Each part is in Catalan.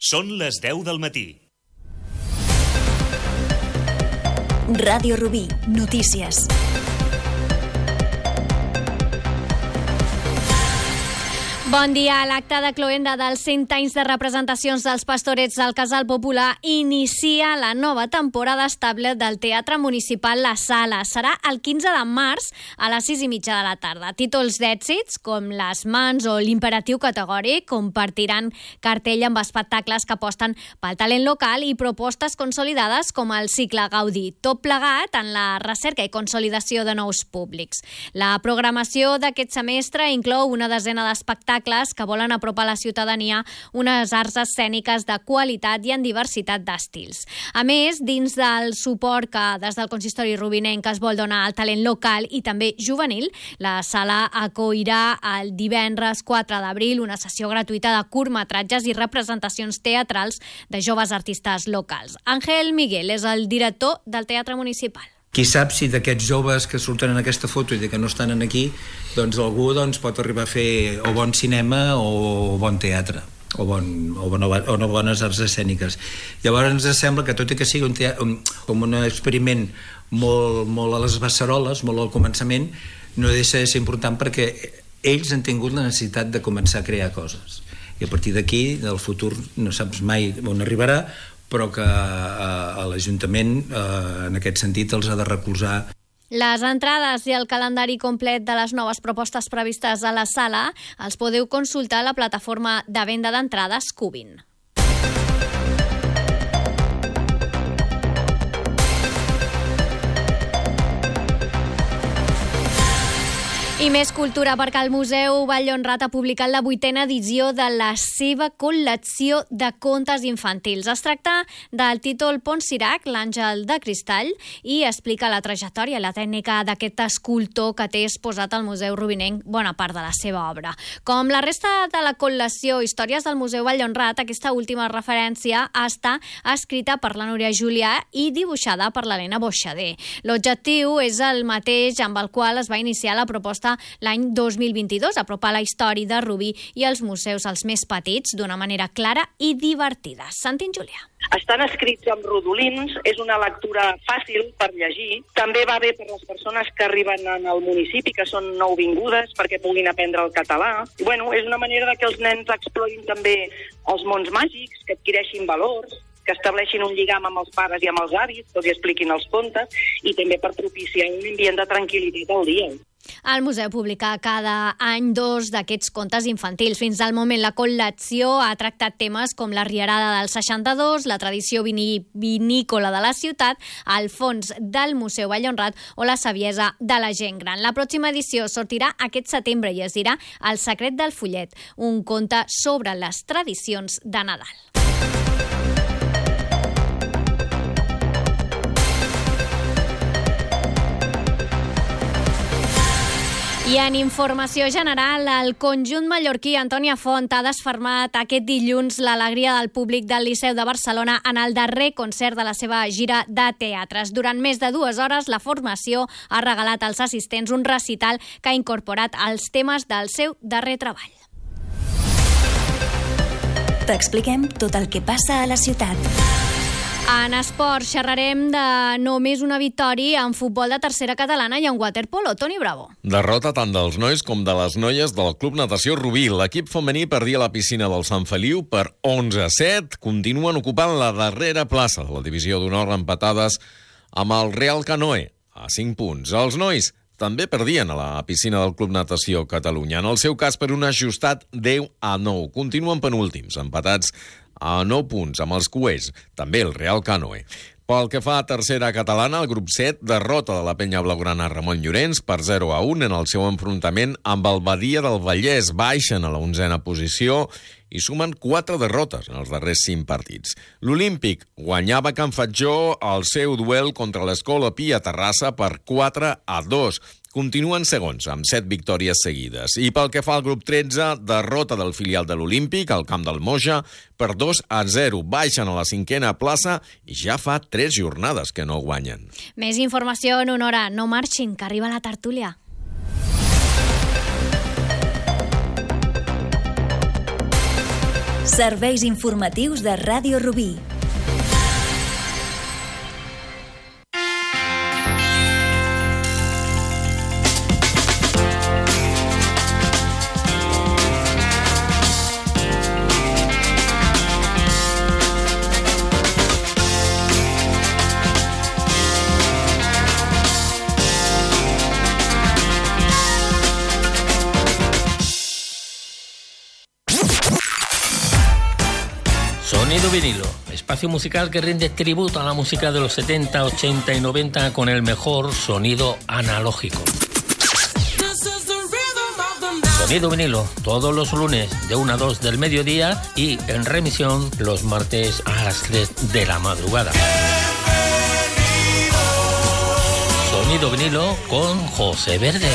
Són les 10 del matí. Ràdio Rubí, notícies. Bon dia. L'acte de cloenda dels 100 anys de representacions dels Pastorets del Casal Popular inicia la nova temporada estable del Teatre Municipal La Sala. Serà el 15 de març a les 6:30 de la tarda. Títols d'èxits com Les Mans o l'Imperatiu Categòric compartiran cartell amb espectacles que aposten pel talent local i propostes consolidades com el cicle Gaudí, tot plegat en la recerca i consolidació de nous públics. La programació d'aquest semestre inclou una desena d'espectacles que volen apropar a la ciutadania unes arts escèniques de qualitat i en diversitat d'estils. A més, dins del suport que des del consistori rubinenc es vol donar al talent local i també juvenil, la sala acollirà el divendres 4 d'abril una sessió gratuïta de curtmetratges i representacions teatrals de joves artistes locals. Ángel Miguel és el director del Teatre Municipal. Qui sap si d'aquests joves que surten en aquesta foto i que no estan aquí, doncs algú pot arribar a fer o bon cinema o bon teatre o bones arts escèniques. Llavors ens sembla que tot i que sigui com un experiment molt a les beceroles, molt al començament, no deixa de ser important perquè ells han tingut la necessitat de començar a crear coses. I a partir d'aquí, del futur, no saps mai on arribarà, però que l'Ajuntament, en aquest sentit, els ha de recolzar. Les entrades i el calendari complet de les noves propostes previstes a la sala els podeu consultar a la plataforma de venda d'entrades Cubin. I més cultura, perquè el Museu Vall Honrat ha publicat la 8a edició de la seva col·lecció de contes infantils. Es tracta del títol Pont Sirac, l'àngel de cristall, i explica la trajectòria i la tècnica d'aquest escultor que té exposat al Museu Rubinenc bona part de la seva obra. Com la resta de la col·lecció Històries del Museu Vall Honrat, aquesta última referència està escrita per la Núria Julià i dibuixada per l'Helena Boixader. L'objectiu és el mateix amb el qual es va iniciar la proposta l'any 2022, apropar la història de Rubí i els museus als més petits d'una manera clara i divertida. Sentim Julià. Estan escrits amb rodolins, és una lectura fàcil per llegir. També va bé per les persones que arriben al municipi, que són nouvingudes, perquè puguin aprendre el català. I, és una manera de que els nens explorin també els mons màgics, que adquireixin valors, que estableixin un lligam amb els pares i amb els avis, que els expliquin els contes, i també per propiciar un ambient de tranquil·litat al dia. El museu publica cada any 2 d'aquests contes infantils. Fins al moment la col·lecció ha tractat temes com la rierada del 62, la tradició vinícola de la ciutat, el fons del Museu Vall Honrat o la saviesa de la gent gran. La pròxima edició sortirà aquest setembre i es dirà El secret del fullet, un conte sobre les tradicions de Nadal. I en informació general, el conjunt mallorquí Antònia Font ha desfermat aquest dilluns l'alegria del públic del Liceu de Barcelona en el darrer concert de la seva gira de teatres. Durant més de 2 hores, la formació ha regalat als assistents un recital que ha incorporat els temes del seu darrer treball. T'expliquem tot el que passa a la ciutat. En esport xerrarem de només una victòria en futbol de tercera catalana i en waterpolo. Toni Bravo. Derrota tant dels nois com de les noies del Club Natació Rubí. L'equip femení perdia la piscina del Sant Feliu per 11-7. Continuen ocupant la darrera plaça de la divisió d'honor empatades amb el Real Canoe a 5 punts. Els nois també perdien a la piscina del Club Natació Catalunya. En el seu cas, per un ajustat 10-9. Continuen penúltims, empatats a 9 punts amb els cuers, també el Real Canoe. Pel que fa a tercera catalana, el grup 7 derrota de la penya blaugrana Ramon Llorenç per 0-1 en el seu enfrontament amb el Badia del Vallès. Baixen a la 11a posició i sumen 4 derrotes en els darrers 5 partits. L'Olímpic guanyava a Can Fatjó el seu duel contra l'Escola Pi a Terrassa per 4-2. Continuen segons, amb 7 victòries seguides. I pel que fa al grup 13, derrota del filial de l'Olímpic al camp del Moja per 2-0. Baixen a la 5a plaça i ja fa 3 jornades que no guanyen. Més informació en una hora. No marxin, que arriba la tertúlia. Serveis informatius de Ràdio Rubí. Sonido vinilo, espacio musical que rinde tributo a la música de los 70, 80 y 90 con el mejor sonido analógico. Sonido vinilo, todos los lunes de 1 a 2 del mediodía y en remisión los martes a las 3 de la madrugada. Sonido vinilo con José Verde.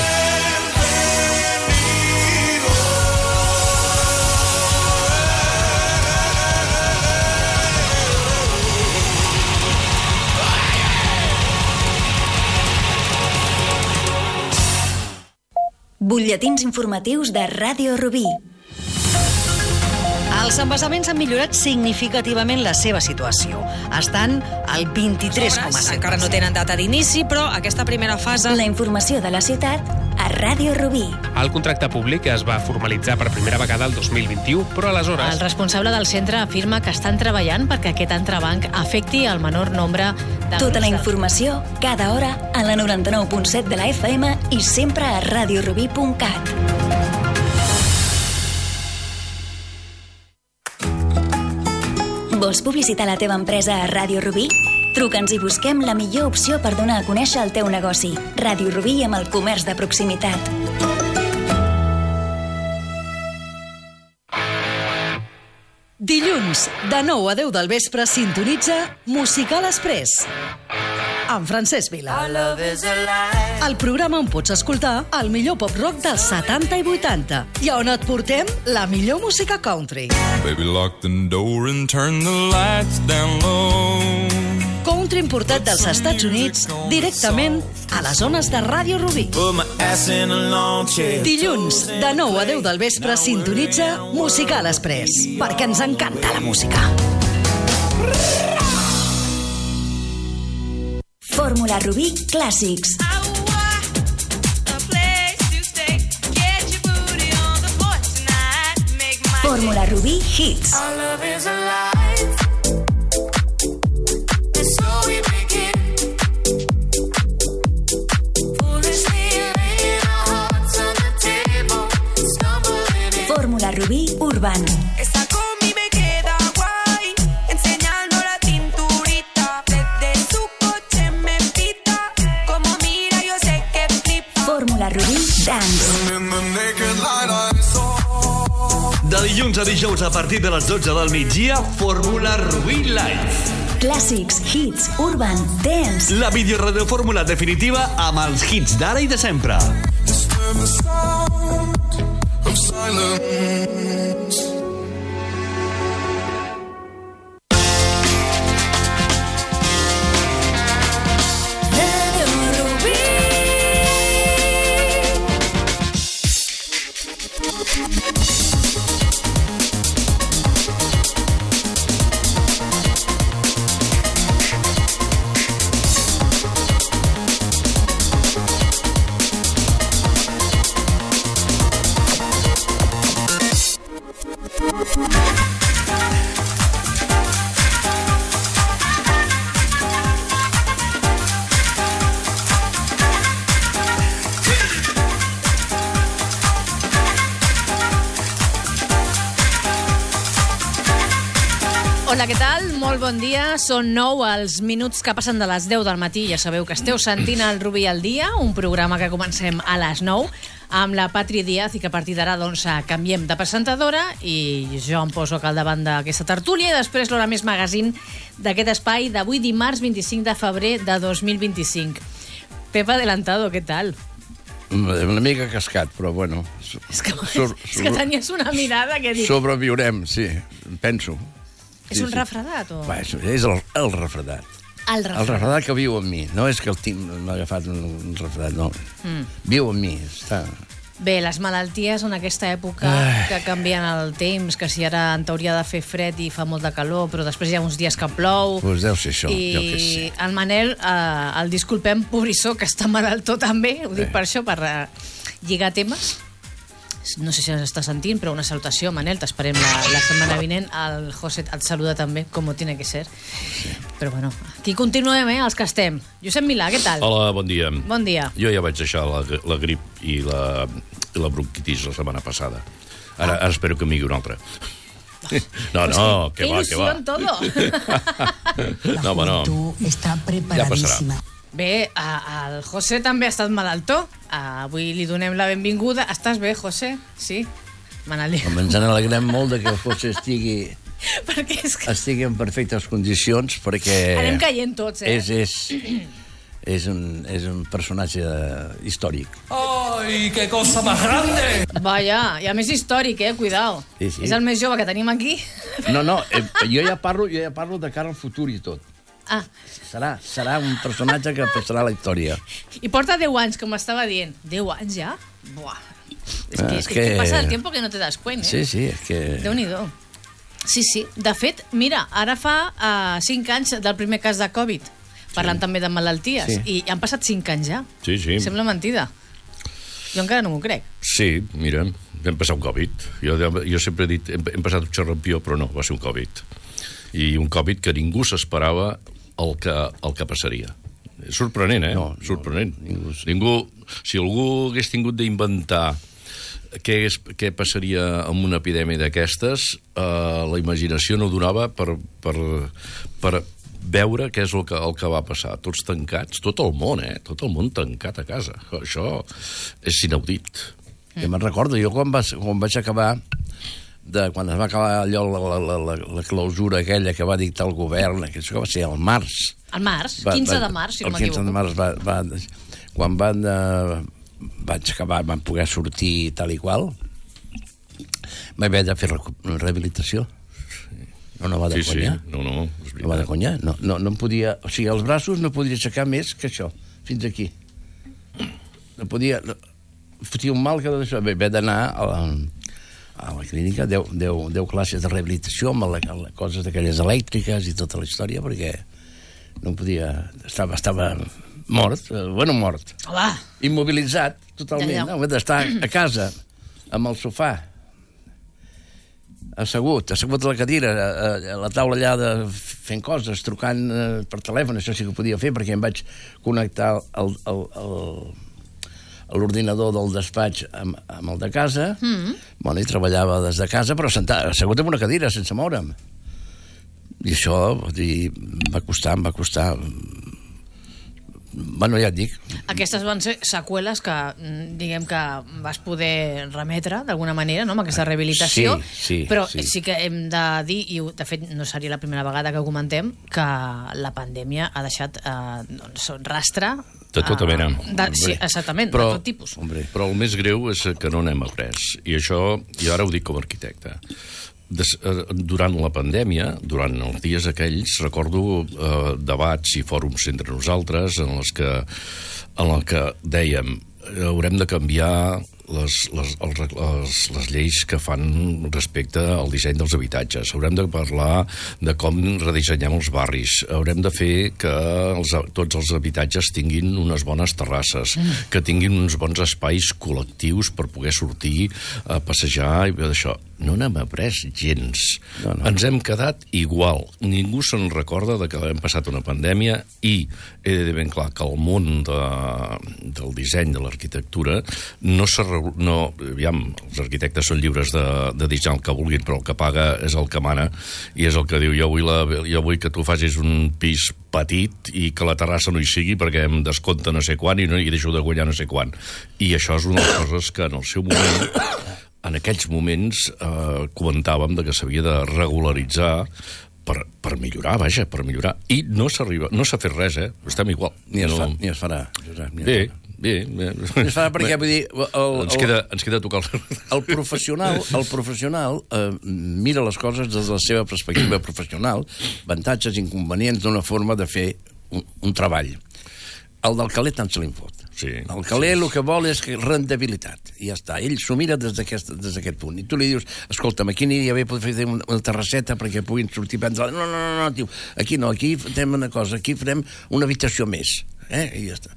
Butlletins informatius de Ràdio Rubí. Els embassaments han millorat significativament la seva situació. Estan al 23,7%. Encara no tenen data d'inici, però aquesta primera fase... La informació de la ciutat a Ràdio Rubí. El contracte públic es va formalitzar per primera vegada el 2021, però aleshores... El responsable del centre afirma que estan treballant perquè aquest entrebanc afecti el menor nombre de... Tota la informació, cada hora, a la 99.7 de la FM i sempre a radiorubí.cat. Vols publicitar la teva empresa a Ràdio Rubí? Truca'ns i busquem la millor opció per donar a conèixer el teu negoci. Ràdio Rubí amb el comerç de proximitat. Dilluns, de 9 a 10 del vespre, sintonitza Musical Express amb Francesc Vila. El programa on pots escoltar el millor pop-rock dels 70 i 80 i on et portem la millor música country. Baby, lock the door and turn the lights down low. Country importat dels Estats Units directament a les zones de Ràdio Rubí. Dilluns, de 9 a 10 del vespre, sintonitza Musical Express, perquè ens encanta la música. Fórmula Rubí Clàssics. Fórmula Rubí Hits. Fórmula Rubí Urban. De dilluns a dijous a partir de les 12 del migdia, Fórmula Rubí Live. Clàssics, hits, urban, dance. La videoradiofórmula definitiva amb els hits d'ara i de sempre. Hola, què tal? Molt bon dia. Són 9 els minuts que passen de les 10 del matí. Ja sabeu que esteu sentint el Rubí al dia, un programa que comencem a les 9 amb la Patri Díaz i que a partir d'ara doncs, canviem de presentadora i jo em poso al davant d'aquesta tertúlia i després l'Hora Més Magazine d'aquest espai d'avui dimarts 25 de febrer de 2025. Pep Adelantado, què tal? Una mica cascat, però bueno... És que tenies una mirada que dic... Sobreviurem, sí, penso. És un refredat o...? Bé, és el refredat. El refredat que viu en mi. No és que el Tim m'ha agafat un refredat, no. Viu en mi, està... Bé, les malalties en aquesta època que canvien el temps, que si ara en teoria de fer fred i fa molt de calor, però després hi ha uns dies que plou. Doncs deu ser això, jo què sé. I el Manel, el disculpem, pobrissó, que està malaltó també, ho dic per això, per lligar temes. No sé si ens està sentint, però una salutació, Manel, t'esperem la setmana vinent. El José et saluda també, com tiene que ser. Però bueno, aquí continuem, els que estem. Josep Milà, què tal? Hola, bon dia. Bon dia. Jo ja vaig deixar la grip i la bronquitis la setmana passada. Ara espero que m'hi una altra. No, que va, que va. Ilusión todo. No, bueno, ja passarà. Bé, el José també ha estat malaltó. Avui li donem la benvinguda. Estàs bé, José? Sí? Ens alegrem molt que el José estigui en perfectes condicions, perquè anem caient tots, és un personatge històric. ¡Ay, qué cosa más grande! Vaja, i a més històric, cuidao. Sí. És el més jove que tenim aquí. No, jo ja parlo de cara al futur i tot. Serà un personatge que passarà a la història. I porta 10 anys, com estava dient. 10 anys ja? Buah. És que passa el temps que no te das cuenta. Sí, és que... Déu-n'hi-do. Sí. De fet, mira, ara fa 5 anys del primer cas de Covid, parlant també de malalties, i han passat 5 anys ja. Sí. Sembla mentida. Jo encara no m'ho crec. Sí, mira, vam passar un Covid. Jo sempre he dit, hem passat un xarrampió, però no, va ser un Covid. I un Covid que ningú s'esperava el que passaria. És sorprenent, sorprenent. Ningú, si algú hagués tingut d'inventar què passaria amb una epidèmia d'aquestes, la imaginació no donava per veure què és el que va passar. Tots tancats, tot el món tancat a casa. Això és inaudit. Ja me'n recordo, jo quan vaig acabar, quan es va acabar allò, la clausura aquella que va dictar el govern, que això va ser al març. Al març? 15 de març, si no m'equivoco. El 15 de març, quan vaig acabar, van poder sortir tal i qual, vaig haver de fer rehabilitació. No va de conya. No, és veritat. No va de conya. No em podia... O sigui, els braços no podia aixecar més que això, fins aquí. No podia... Fotia un mal que d'això. Vaig haver d'anar a la clínica, 10 classes de rehabilitació amb coses d'aquelles elèctriques i tota la història, perquè no podia... Estava mort, mort. Hola. Immobilitzat, totalment. No? Vaig estar a casa, amb el sofà, assegut a la cadira, a la taula allà fent coses, trucant per telèfon, això sí que ho podia fer, perquè em vaig connectar l'ordinador del despatx amb el de casa, i treballava des de casa, però assegut en una cadira, sense moure'm. I això, em va costar. Bueno, ja et dic. Aquestes van ser seqüeles que, diguem que vas poder remetre d'alguna manera, no?, amb aquesta rehabilitació. Sí. Però sí que hem de dir, i de fet no seria la primera vegada que ho comentem, que la pandèmia ha deixat rastre de tota mena. Sí, exactament, de tot tipus. Però el més greu és que no n'hem après. I això, jo ara ho dic com a arquitecte. Durant la pandèmia, durant els dies aquells, recordo debats i fòrums entre nosaltres en els que dèiem haurem de canviar les lleis que fan respecte al disseny dels habitatges, haurem de parlar de com redissenyem els barris, haurem de fer que tots els habitatges tinguin unes bones terrasses, que tinguin uns bons espais col·lectius per poder sortir a passejar i això. No n'hem après gens. Ens hem quedat igual. Ningú se'n recorda de que hem passat una pandèmia i he de dir ben clar que el món del disseny, de l'arquitectura, aviam, els arquitectes són lliures de dissenyar el que vulguin, però el que paga és el que mana i és el que diu jo vull que tu facis un pis petit i que la terrassa no hi sigui perquè em descompta no sé quan i deixo de guanyar no sé quan. I això és una de les coses que en el seu moment, en aquells moments, comentàvem que s'havia de regularitzar per millorar, vaja, per millorar. I no s'ha fet res, estem igual. Ni es farà. Bé. Es farà perquè, vull dir... Ens queda tocar el professional mira les coses des de la seva perspectiva professional, avantatges i inconvenients d'una forma de fer un treball. El del caler tant se li fot. Sí. El caler el que vol és rendibilitat, i ja està. Ell s'ho mira des d'aquest punt. I tu li dius, escolta'm, aquí aniria bé poder fer una terrasseta perquè puguin sortir a prendre... No, tio, aquí no, aquí fem una cosa, aquí farem una habitació més. I ja està.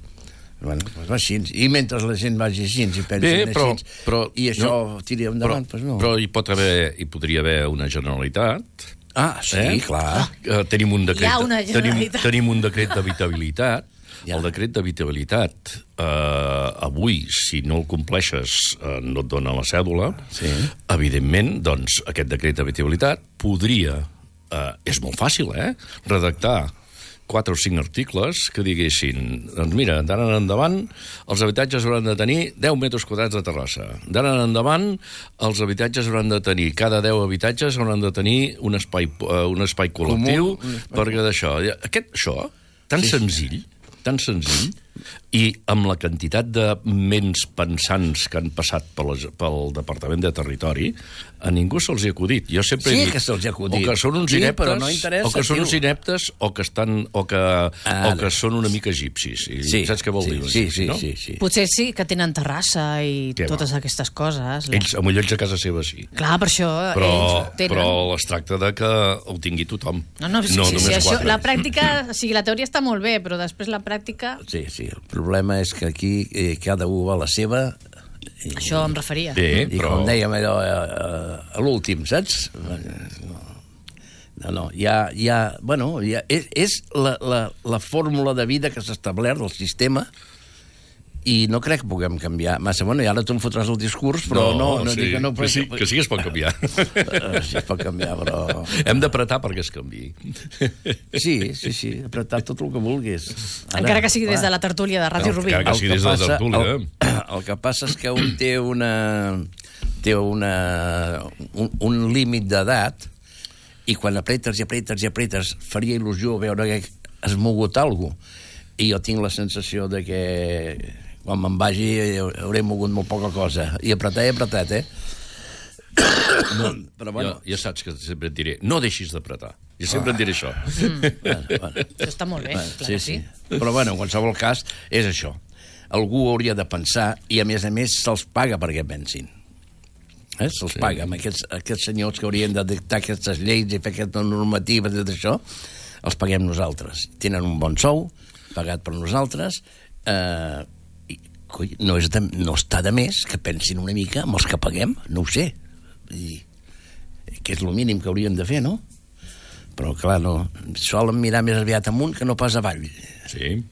Bueno, doncs va així. I mentre la gent vagi així i pensin així, i això tiri endavant, doncs no. Però hi podria haver una Generalitat... Sí, clar. Tenim un decret... Hi ha una Generalitat. Tenim un decret d'habitabilitat. El decret d'habitabilitat, avui, si no el compleixes, no et dona la cèdula. Evidentment, doncs, aquest decret d'habitabilitat podria... És molt fàcil, redactar 4 o 5 articles que diguessin, doncs mira, d'ara en endavant els habitatges hauran de tenir 10 metres quadrats de terrassa. D'ara en endavant els habitatges hauran de tenir, cada 10 habitatges hauran de tenir un espai col·lectiu, perquè d'això... Això, tan senzill, i amb la quantitat de ments pensants que han passat pel Departament de Territori, a ningú se'ls ha acudit. Jo sempre he dit... que se'ls ha acudit. O que són uns ineptes, però no interessa, o que són uns ineptes, o que són una mica egipcis. Saps què vol dir? Sí. Potser sí que tenen terrassa i totes aquestes coses. Ells a casa seva sí. Clar, per això ells tenen... Però es tracta de que ho tingui tothom. Sí, això, la pràctica, o sigui, la teoria està molt bé, però després la pràctica... Sí, el problema és que aquí cada un va a la seva... Això em referia. I com dèiem allò a l'últim, saps? No, és la fórmula de vida que s'ha establert del sistema, i no crec que puguem canviar massa. I ara tu em fotràs el discurs, però que sí es pot canviar. Sí es pot canviar, però... Hem d'apretar perquè es canviï. Sí, apretar tot el que vulguis. Encara que sigui des de la tertúlia de Ràdio Rubí. Encara que sigui des de la tertúlia. El que passa és que un té un límit d'edat, i quan apretes, faria il·lusió veure que has mogut alguna cosa. I jo tinc la sensació de que quan me'n vagi hauré mogut molt poca cosa. I apretat, Però bueno... Ja saps que sempre et diré, no deixis d'apretar. Jo sempre et diré això. Això està molt bé, clar que sí. Però bueno, en qualsevol cas, és això. Algú hauria de pensar, i a més se'ls paga perquè pensin. Se'ls paga amb aquests senyors que haurien de dictar aquestes lleis i fer aquestes normatives i tot això, els paguem nosaltres. Tenen un bon sou, pagat per nosaltres, no està de més que pensin una mica amb els que paguem, no ho sé, que és el mínim que hauríem de fer, no? Però clar, no, solen mirar més aviat amunt que no pas avall. Sí.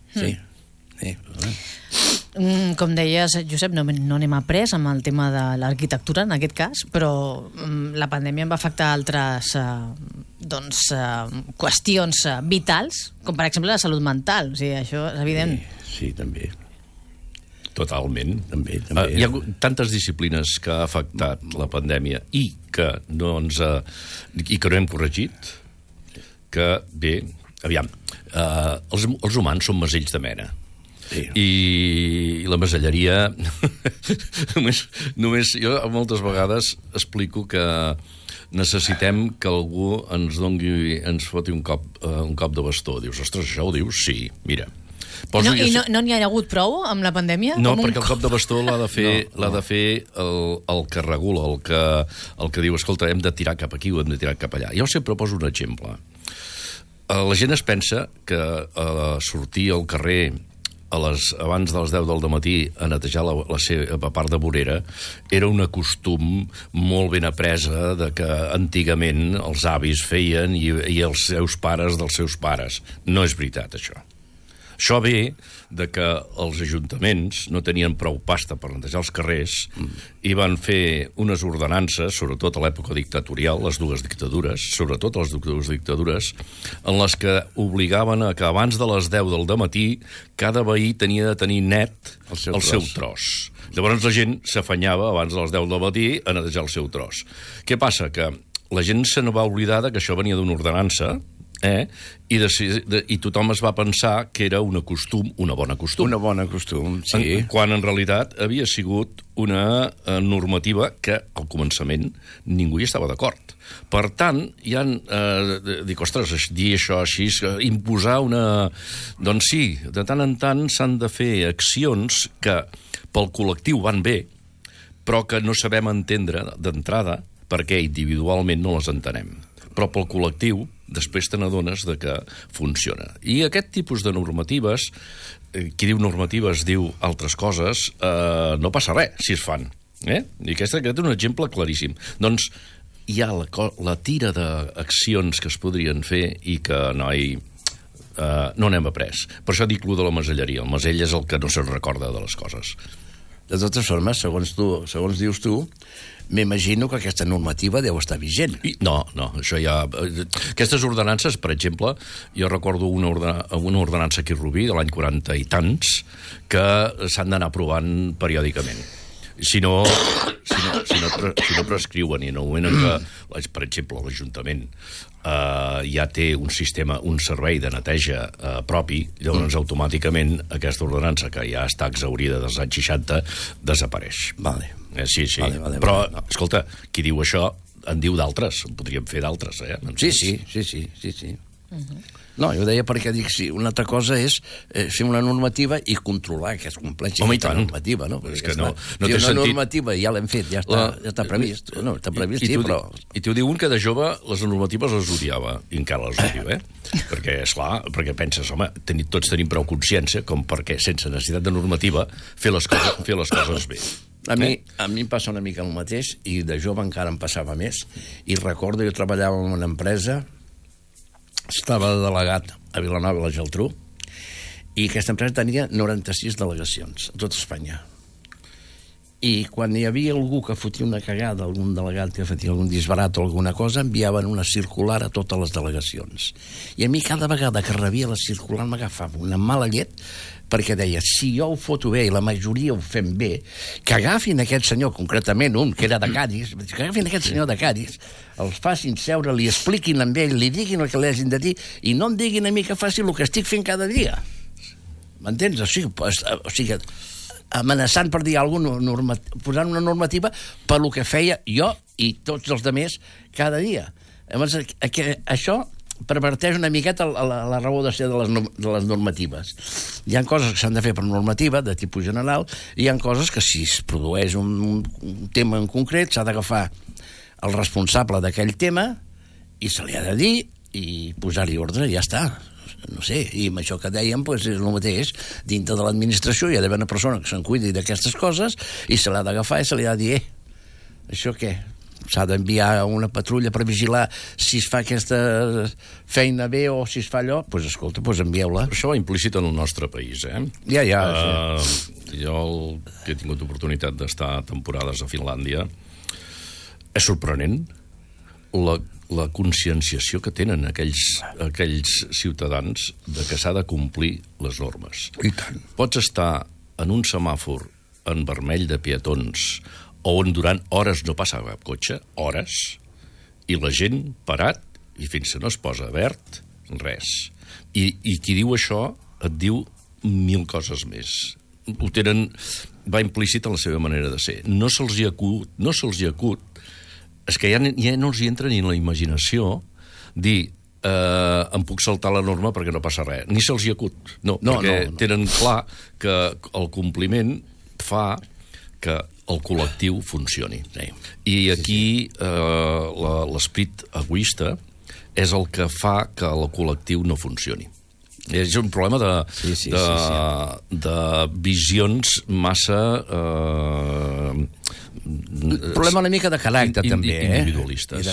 Com deies, Josep, no n'hem après amb el tema de l'arquitectura, en aquest cas, però la pandèmia va afectar altres qüestions vitals, com per exemple la salut mental. O sigui, això és evident. Sí, també. Totalment. També. Hi ha tantes disciplines que ha afectat la pandèmia i que no hem corregit, que bé, aviam, els humans són masells de mena. I la maselleria només jo moltes vegades explico que necessitem que algú ens foti un cop de bastó. Dius, ostres, això ho dius? Sí, mira. No n'hi ha hagut prou amb la pandèmia? No, perquè el cop de bastó l'ha de fer el que regula, el que diu, escolta, hem de tirar cap aquí o hem de tirar cap allà. Jo sempre poso un exemple. La gent es pensa que sortir al carrer abans de les 10 del dematí a netejar la seva part de vorera era un costum molt ben apresa de que antigament els avis feien i els seus pares dels seus pares. No és veritat, això. Això ve de que els ajuntaments no tenien prou pasta per netejar els carrers i van fer unes ordenances, sobretot a l'època dictatorial, les dues dictadures, sobretot les dues dictadures, en les que obligaven a que abans de les 10 del dematí cada veí tenia de tenir net el seu tros. Llavors la gent s'afanyava abans de les 10 del matí a netejar el seu tros. Què passa? Que la gent se n'va oblidar que això venia d'una ordenança I tothom es va pensar que era una bona costum. Una bona costum, sí. Quan en realitat havia sigut una normativa que al començament ningú hi estava d'acord. Per tant, hi ha... dic, ostres, dir això així, imposar una... Doncs sí, de tant en tant s'han de fer accions que pel col·lectiu van bé, però que no sabem entendre d'entrada perquè individualment no les entenem. Però pel col·lectiu després te n'adones de que funciona. I aquest tipus de normatives, qui diu normatives diu altres coses, no passa res si es fan. I aquest és un exemple claríssim. Doncs hi ha la tira d'accions que es podrien fer i que no n'hem après. Per això dic lo de la maselleria. El masell és el que no se'n recorda de les coses. De totes formes, segons dius tu, m'imagino que aquesta normativa deu estar vigent. No, això ja... Aquestes ordenances, per exemple, jo recordo una ordenança aquí a Rubí de l'any 40 i tants que s'han d'anar aprovant periòdicament. Si no prescriuen i en el moment en què, per exemple, l'Ajuntament ja té un servei de neteja propi, llavors automàticament aquesta ordenança, que ja està exhaurida dels anys 60, desapareix. Vale. Sí. Vale. Però, escolta, qui diu això en diu d'altres, en podríem fer d'altres, Sí. No, jo deia perquè dic, sí, una altra cosa és fer una normativa i controlar que es compleixi aquesta normativa, no? És que no té sentit. Una normativa ja l'hem fet, ja està previst. No, està previst, sí, però... I t'ho diu un que de jove les normatives les odiava, i encara les odio, Perquè, esclar, perquè penses, home, tots tenim prou consciència com perquè, sense necessitat de normativa, fer les coses bé. A mi em passa una mica el mateix, i de jove encara em passava més, i recordo, jo treballava en una empresa, estava delegat a Vilanova i la Geltrú, i aquesta empresa tenia 96 delegacions a tot Espanya. I quan hi havia algú que fotia una cagada, algun delegat que fotia algun disbarat o alguna cosa, enviaven una circular a totes les delegacions. I a mi cada vegada que rebia la circular m'agafava una mala llet, perquè deia, si jo ho foto bé i la majoria ho fem bé, que agafin aquest senyor, concretament un, que era de Cádiz, que agafin aquest senyor de Cádiz, els facin seure, li expliquin amb ell, li diguin el que li hagin de dir, i no em diguin a mi que faci el que estic fent cada dia. M'entens? O sigui, amenaçant per dir alguna cosa, posant una normativa per lo que feia jo i tots els altres cada dia. Llavors, això perverteix una miqueta la raó de ser de les normatives. Hi ha coses que s'han de fer per normativa, de tipus general, i hi ha coses que si es produeix un tema en concret s'ha d'agafar el responsable d'aquell tema i se li ha de dir i posar-hi ordre, i ja està. No sé, i amb això que dèiem és el mateix. Dintre de l'administració hi ha d'haver una persona que se'n cuidi d'aquestes coses i se l'ha d'agafar i se li ha de dir això què? S'ha d'enviar una patrulla per vigilar si es fa aquesta feina bé o si es fa allò, doncs escolta, envieu-la. Això va implícit en el nostre país, Ja. Jo, que he tingut oportunitat d'estar temporades a Finlàndia, és sorprenent la conscienciació que tenen aquells ciutadans de que s'ha de complir les normes. I tant. Pots estar en un semàfor en vermell de peatons on durant hores no passa cap cotxe, hores, i la gent parat, i fins que no es posa verd, res. I qui diu això et diu 1000 coses més. Ho tenen, va implícit en la seva manera de ser. No se'ls hi acut, és que ja no els hi entra ni en la imaginació dir em puc saltar la norma perquè no passa res. Ni se'ls hi acut. No. Tenen clar que el compliment fa que el col·lectiu funcioni. I aquí l'esperit egoista és el que fa que el col·lectiu no funcioni. És un problema de visions massa... problema una mica de caràcter, també. Individualistes.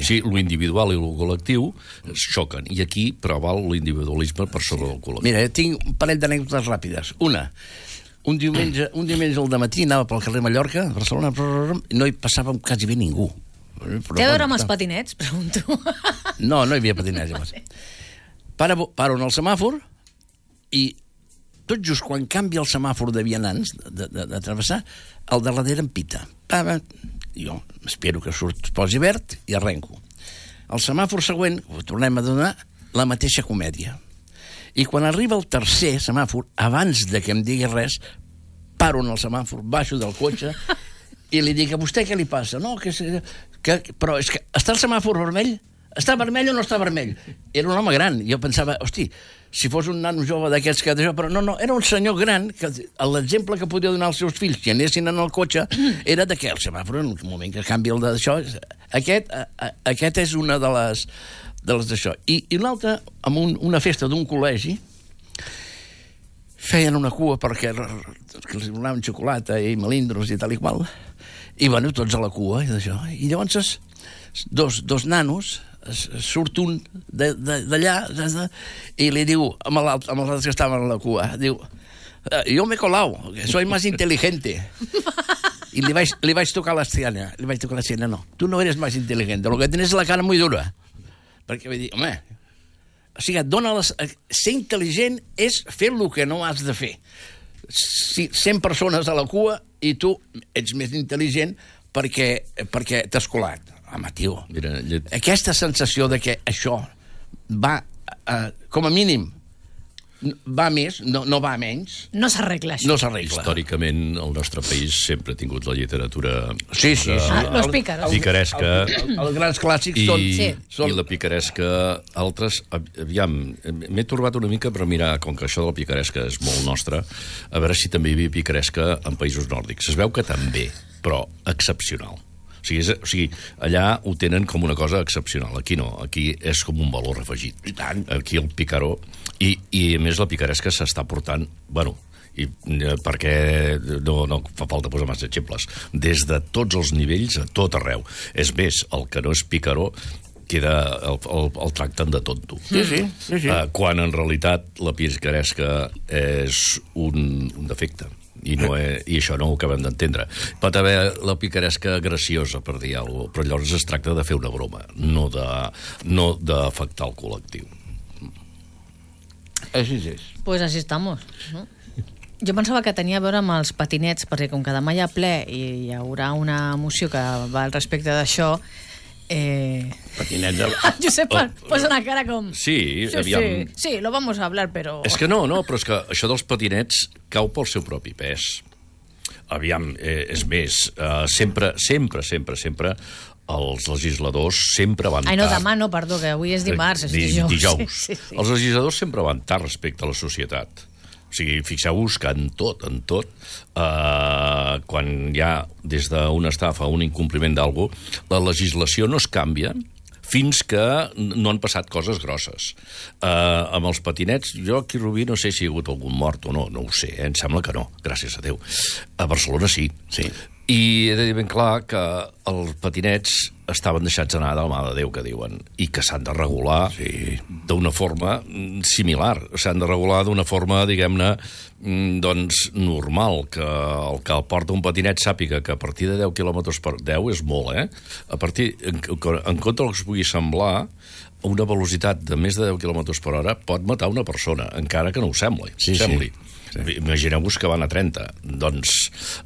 Sí, lo individual i lo col·lectiu xoquen. I aquí preval l'individualisme per sobre del col·lectiu. Mira, tinc un parell d'anècdotes ràpides. Una, un diumenge al dematí anava pel carrer Mallorca, a Barcelona, no hi passava quasi bé ningú. Té a veure amb els patinets, pregunto. No hi havia patinets. Vale. Paro en el semàfor i tot just quan canvia el semàfor de vianants, de travessar, el de darrere em pita. Jo espero que posi verd i arrenco. El semàfor següent, ho tornem a donar, la mateixa comèdia. I quan arriba el tercer semàfor, abans de que em digui res, paro en el semàfor, baixo del cotxe i li dic, a vostè què li passa? No, però és que està el semàfor vermell? Està vermell o no està vermell? Era un home gran. Jo pensava, hosti, si fos un nano jove d'aquests que... Però no, era un senyor gran que l'exemple que podia donar als seus fills que anessin en el cotxe era de que el semàfor, en el moment que canvia el d'això... Aquest és una de les d'això. I l'altre, amb una festa d'un col·legi, feien una cua perquè els donaven xocolata i melindros i tal i qual, i bueno, tots a la cua i d'això. I llavors dos nanos, surt un d'allà i li diu amb els altres que estaven a la cua, diu, yo me he colado, soy más inteligente. Y le vaig tocar la siena. No, tú no eres más inteligente, lo que tienes es la cara muy dura. Perquè vull dir, home, o sigui, ser intel·ligent és fer el que no has de fer. 100 persones a la cua i tu ets més intel·ligent perquè t'has colat. Home, tio, aquesta sensació de que això va, com a mínim, va més, no va menys... No s'arregla, això. No s'arregla. Històricament, el nostre país sempre ha tingut la literatura... Sí. Los pícaros. Picaresca. Els grans clàssics són... I la picaresca, altres... Aviam, m'he torbat una mica, però mira, com que això de la picaresca és molt nostre, a veure si també hi havia picaresca en països nòrdics. Es veu que també, però excepcional. O sigui, allà ho tenen com una cosa excepcional. Aquí no, aquí és com un valor afegit. I tant. Aquí el picaró... I a més la picaresca s'està portant... Bueno, perquè no fa falta posar massa exemples. Des de tots els nivells, a tot arreu. És més, el que no és picaró el tracten de tonto. Sí. Quan en realitat la picaresca és un defecte. I això no ho acabem d'entendre. Pot haver la picaresca graciosa, per dir alguna cosa, però llavors es tracta de fer una broma, no d'afectar el col·lectiu. Així és. Pues así estamos, no? Jo pensava que tenia a veure amb els patinets, perquè com que demà hi ha ple i hi haurà una moció que va al respecte d'això... Patinets... Josep posa una cara com... Sí, aviam... Sí, lo vamos a hablar, però... És que no, però és que això dels patinets cau pel seu propi pes. Aviam, és més, sempre els legisladors sempre van tard. Ai, no, demà no, perdó, que avui és dimarts, és dijous. Sí. Els legisladors sempre van tard respecte a la societat. O sigui, fixeu-vos que en tot, quan hi ha des d'una estafa o un incompliment d'algú, la legislació no es canvia fins que no han passat coses grosses. Amb els patinets, jo aquí a Rubí no sé si hi ha hagut algun mort o no ho sé, em sembla que no, gràcies a Déu. A Barcelona sí. I he de dir ben clar que els patinets estaven deixats anar de la mà de Déu, que diuen, i que s'han de regular d'una forma similar. S'han de regular d'una forma, diguem-ne, doncs, normal, que el que porta un patinet sàpiga que a partir de 10 km per 10 és molt, A partir, en compte del que es pugui semblar, una velocitat de més de 10 km per hora pot matar una persona, encara que no ho sembli. Imagineu-vos que van a 30. Doncs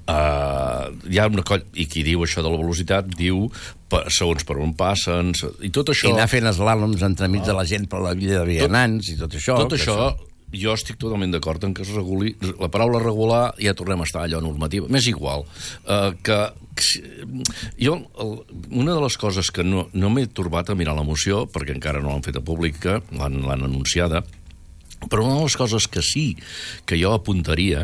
hi ha una colla... I qui diu això de la velocitat diu segons per on passen... I tot això... I anar fent eslàloms entremig de la gent per la via de vianants i tot això. Tot això, jo estic totalment d'acord en que es reguli. La paraula regular ja tornem a estar allò normativa. M'és igual. Una de les coses que no m'he torbat a mirar la moció, perquè encara no l'han feta pública, l'han anunciada, però una de les coses que sí que jo apuntaria,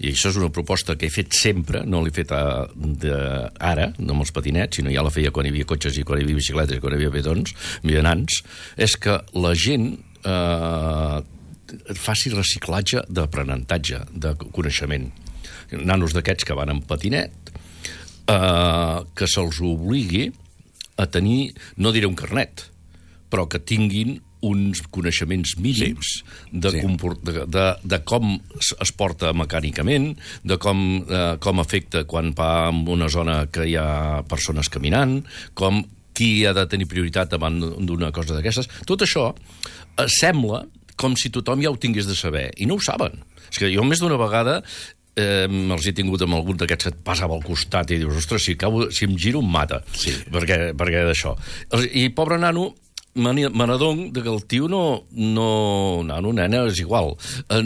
i això és una proposta que he fet sempre, no l'he fet ara, no amb els patinets, sinó ja la feia quan hi havia cotxes i quan hi havia bicicletes i quan hi havia petons, vianants, és que la gent faci reciclatge d'aprenentatge, de coneixement. Nanos d'aquests que van en patinet, que se'ls obligui a tenir, no diré un carnet, però que tinguin uns coneixements mínims de com es porta mecànicament, de com afecta quan va en una zona que hi ha persones caminant, qui ha de tenir prioritat davant d'una cosa d'aquestes. Tot això sembla com si tothom ja ho tingués de saber, i no ho saben. És que jo més d'una vegada els he tingut amb algun d'aquests que et passava al costat i dius, ostres, si em giro em mata. Sí. Perquè d'això. I pobre nano, me n'adonc que el tio nano, nena, és igual.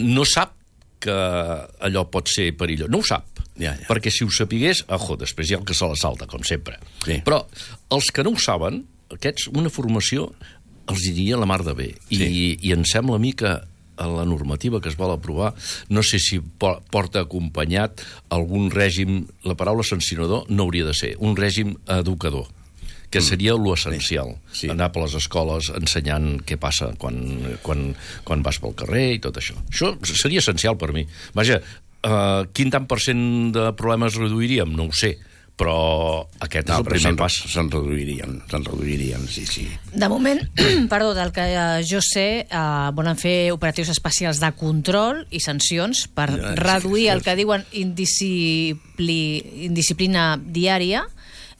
No sap que allò pot ser perillós. No ho sap. Perquè si ho sapigués, després hi ha el que se la salta, com sempre. Sí. Però els que no ho saben, aquests, una formació els diria la mar de bé. Sí. I em sembla a mi que a la normativa que es vol aprovar, no sé si porta acompanyat algun règim, la paraula sancionador no hauria de ser, un règim educador, que seria l'essencial. Sí. Anar per les escoles ensenyant què passa quan vas pel carrer i tot això. Això seria essencial per mi. Vaja, quin tant % de problemes reduiríem? No ho sé, però aquest és el primer pas. Se'n reduirien, sí. De moment, perdó, del que jo sé, volen fer operatius especials de control i sancions per reduir el que diuen indisciplina diària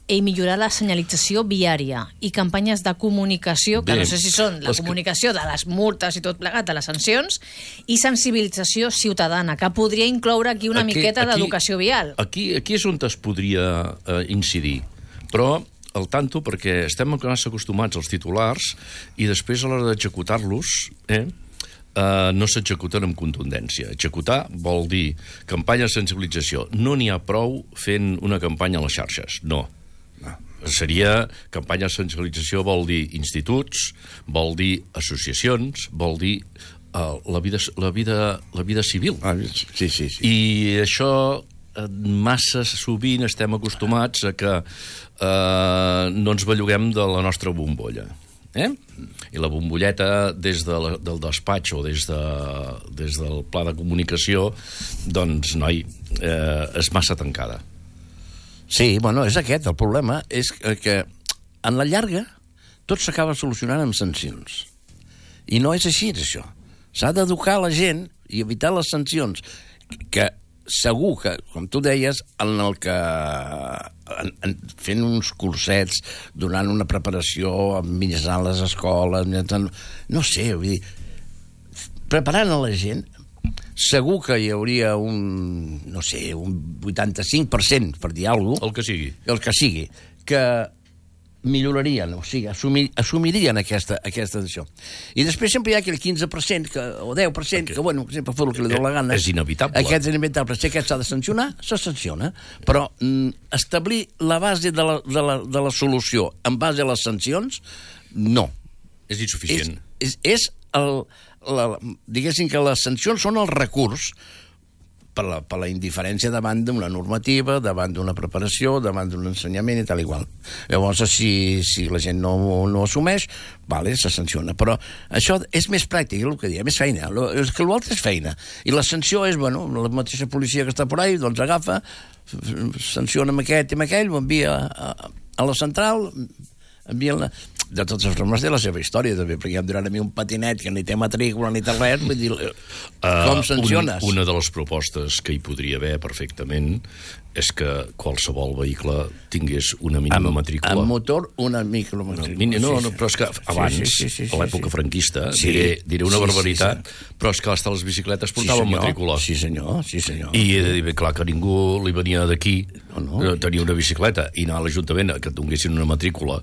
i millorar la senyalització viària i campanyes de comunicació, que no sé si són la comunicació de les multes i tot plegat, de les sancions, i sensibilització ciutadana, que podria incloure aquí una miqueta d'educació vial. Aquí és on es podria incidir, però al tanto, perquè estem massa acostumats als titulars i després a l'hora d'executar-los no s'executen amb contundència. Executar vol dir campanya de sensibilització. No n'hi ha prou fent una campanya a les xarxes, no. Seria campanya de sensibilització, vol dir instituts, vol dir associacions, vol dir la vida civil. Sí. I això massa sovint estem acostumats a que no ens belluguem de la nostra bombolla. I la bombolleta des del despatx o des del pla de comunicació, doncs, noi, és massa tancada. Sí, bueno, és aquest. El problema és que en la llarga tot s'acaba solucionant amb sancions. I no és així, això. S'ha d'educar la gent i evitar les sancions, que segur que, com tu deies, fent uns cursets, donant una preparació, mitjançant les escoles, no sé, vull dir, preparant a la gent, segur que hi hauria un 85%, per dir alguna cosa, el que sigui, que millorarien, o sigui, assumirien aquesta decisió. I després sempre hi ha aquell 15% o 10% que, bueno, sempre fa el que li dóna la gana. És inevitable. Aquest és inevitable. Si aquest s'ha de sancionar, se sanciona. Però establir la base de la solució en base a les sancions, no. És insuficient. Diguéssim que les sancions són el recurs per la indiferència davant d'una normativa, davant d'una preparació, davant d'un ensenyament i tal igual. Llavors, si la gent no assumeix, se sanciona. Però això és més pràctic, el que deia, més feina. És que l'altre és feina. I la sanció és, la mateixa policia que està por ahí, doncs agafa, sanciona amb aquest i amb aquell, ho envia a la central, envia-la... De totes formes té la seva història, també, perquè em duran a mi un patinet que ni té matrícula ni té res, vull dir, com sanciones? Una de les propostes que hi podria haver perfectament és que qualsevol vehicle tingués una mínima matrícula. Amb motor, una micromatrícula. No, però és que abans, a l'època franquista, diré una barbaritat, però és que hasta les bicicletes portaven matrícula. Sí, senyor. I he de dir, clar, que ningú li venia d'aquí tenir una bicicleta i anar a l'Ajuntament que et donessin una matrícula.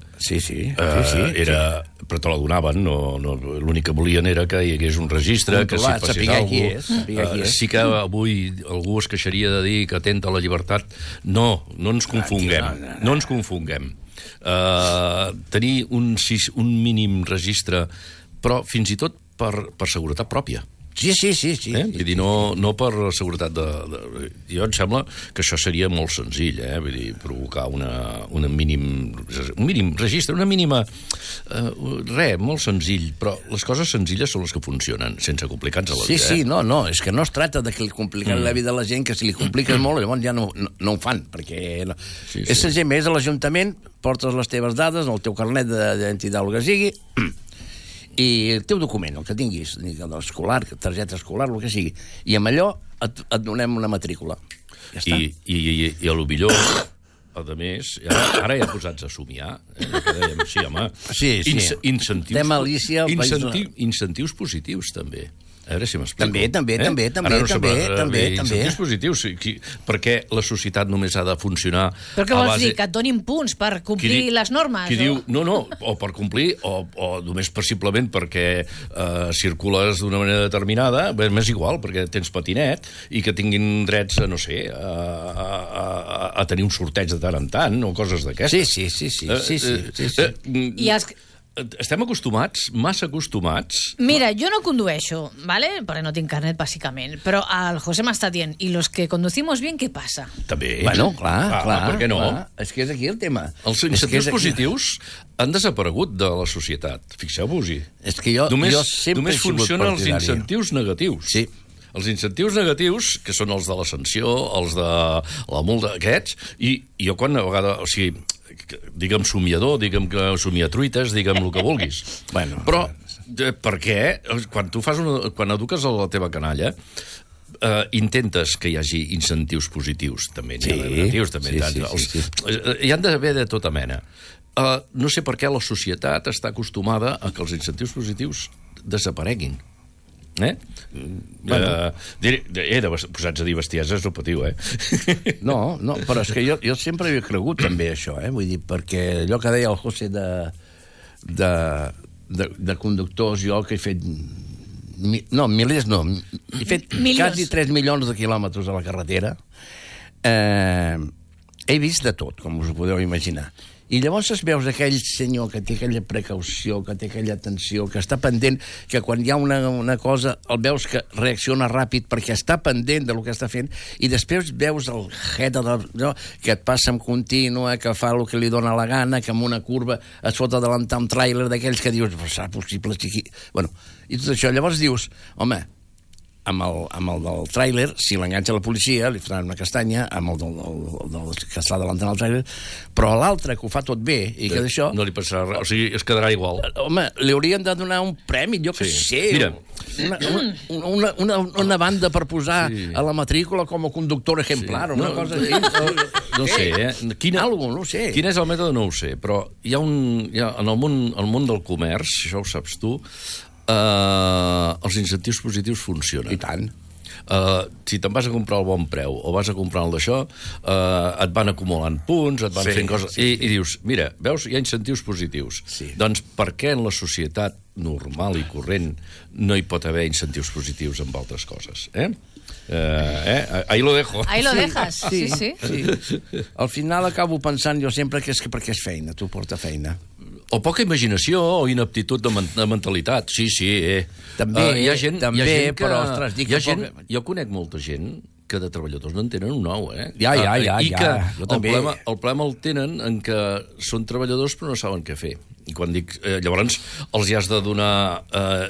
Era... Però te la donaven, l'únic que volien era que hi hagués un registre, que si passés alguna cosa... Sí que avui algú es queixaria de dir que atenta a la llibertat. No ens confonguem. No ens confonguem. Tenir un mínim registre, però fins i tot per seguretat pròpia. Sí. Vull dir, no per seguretat Jo em sembla que això seria molt senzill, vull dir, provocar un mínim registre, una mínima... molt senzill, però les coses senzilles són les que funcionen, sense complicar-nos la vida. Sí, és que no es tracta de que li compliquen la vida a la gent, que si li compliques molt, llavors ja no ho fan, perquè és senzill, és a l'Ajuntament, portes les teves dades, el teu carnet d'identitat, el que sigui, i el teu document, el que tinguis, escolar, targeta escolar, el que sigui, i amb allò et donem una matrícula. Ja està. I a lo millor, a més, ara ja posats a somiar, que dèiem, home, incentius positius, també. A veure si m'explico. També. Incentius positius. Per què la societat només ha de funcionar Però què vols dir? Que et donin punts per complir les normes? Qui diu, no, o per complir, o només simplement perquè circules d'una manera determinada, m'és igual, perquè tens patinet, i que tinguin drets, no sé, a tenir un sorteig de tant en tant, o coses d'aquestes. Sí. I els... Estem acostumats, massa acostumats... Mira, jo no condueixo, ¿vale? Perquè no tinc carnet, bàsicament. Però el José m'està dient, i los que conducimos bien, què passa? També. Bueno, clar. Per què no? Clar. És que és aquí el tema. Els incentius positius han desaparegut de la societat. Fixeu-vos-hi. És que jo sempre només funcionen els incentius negatius. Sí. Els incentius negatius, que són els de la sanció, els de la multa, aquests, i jo quan a vegades... O sigui, digue'm somiador, digue'm somiatruites, digue'm el que vulguis. Però per què? Quan eduques a la teva canalla, intentes que hi hagi incentius positius, també n'hi ha negatius, també hi han d'haver de tota mena. No sé per què la societat està acostumada a que els incentius positius desapareguin. Posats a dir bestieses no patiu, No, però és que jo sempre he cregut també això, vull dir, perquè allò que deia el José de conductors, jo que he fet milers no, he fet quasi 3 milions de quilòmetres a la carretera, he vist de tot, com us ho podeu imaginar. I llavors veus aquell senyor que té aquella precaució, que té aquella atenció, que està pendent, que quan hi ha una cosa el veus que reacciona ràpid perquè està pendent del que està fent, i després veus el que et passa en contínua, que fa el que li dóna la gana, que en una curva es fot adelantar un tràiler d'aquells que dius, serà possible? Bueno, i tot això, llavors dius, home, amb el del tràiler, si l'enganxa la policia, li faran una castanya, amb el del que està delantant el tràiler, però l'altre, que ho fa tot bé, i que d'això... No li passarà res, o sigui, es quedarà igual. Home, li haurien de donar un premi, jo que sé, mira, una banda per posar a la matrícula com a conductor exemplar, una cosa així. No sé, no sé. Quin és el mètode no ho sé, però hi ha en el món del comerç, això ho saps tu, els incentius positius funcionen. I tant. Si te'n vas a comprar el bon preu o vas a comprar el d'això, et van acumulant punts, et van fent coses... I dius, mira, veus, hi ha incentius positius. Doncs per què en la societat normal i corrent no hi pot haver incentius positius amb altres coses? Ahí lo dejo. Ahí lo dejas, sí. Al final acabo pensant jo sempre que és perquè és feina, tu porta feina. O poca imaginació o inaptitud de mentalitat. Sí. També, hi ha gent que... però, ostres, dic que... Jo conec molta gent que de treballadors no en tenen un ou, Ja. I que el problema el tenen en que són treballadors però no saben què fer. I quan dic... llavors els hi has de donar...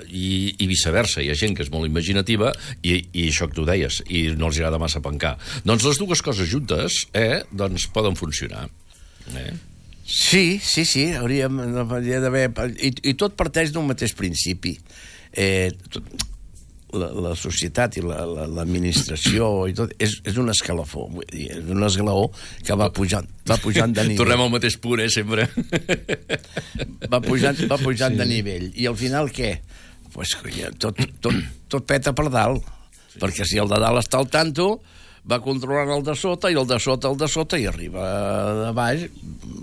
I viceversa. Hi ha gent que és molt imaginativa i això que tu deies, i no els agrada massa pencar. Doncs les dues coses juntes, doncs poden funcionar. Sí, hauria d'haver... I tot parteix d'un mateix principi. La societat i l'administració i tot és un escalafó, és un esglaó que va pujant de nivell. Tornem al mateix punt, sempre. Va pujant de nivell. I al final què? Pues tot peta per dalt, perquè si el de dalt està al tanto, va controlant el de sota, i el de sota, i arriba de baix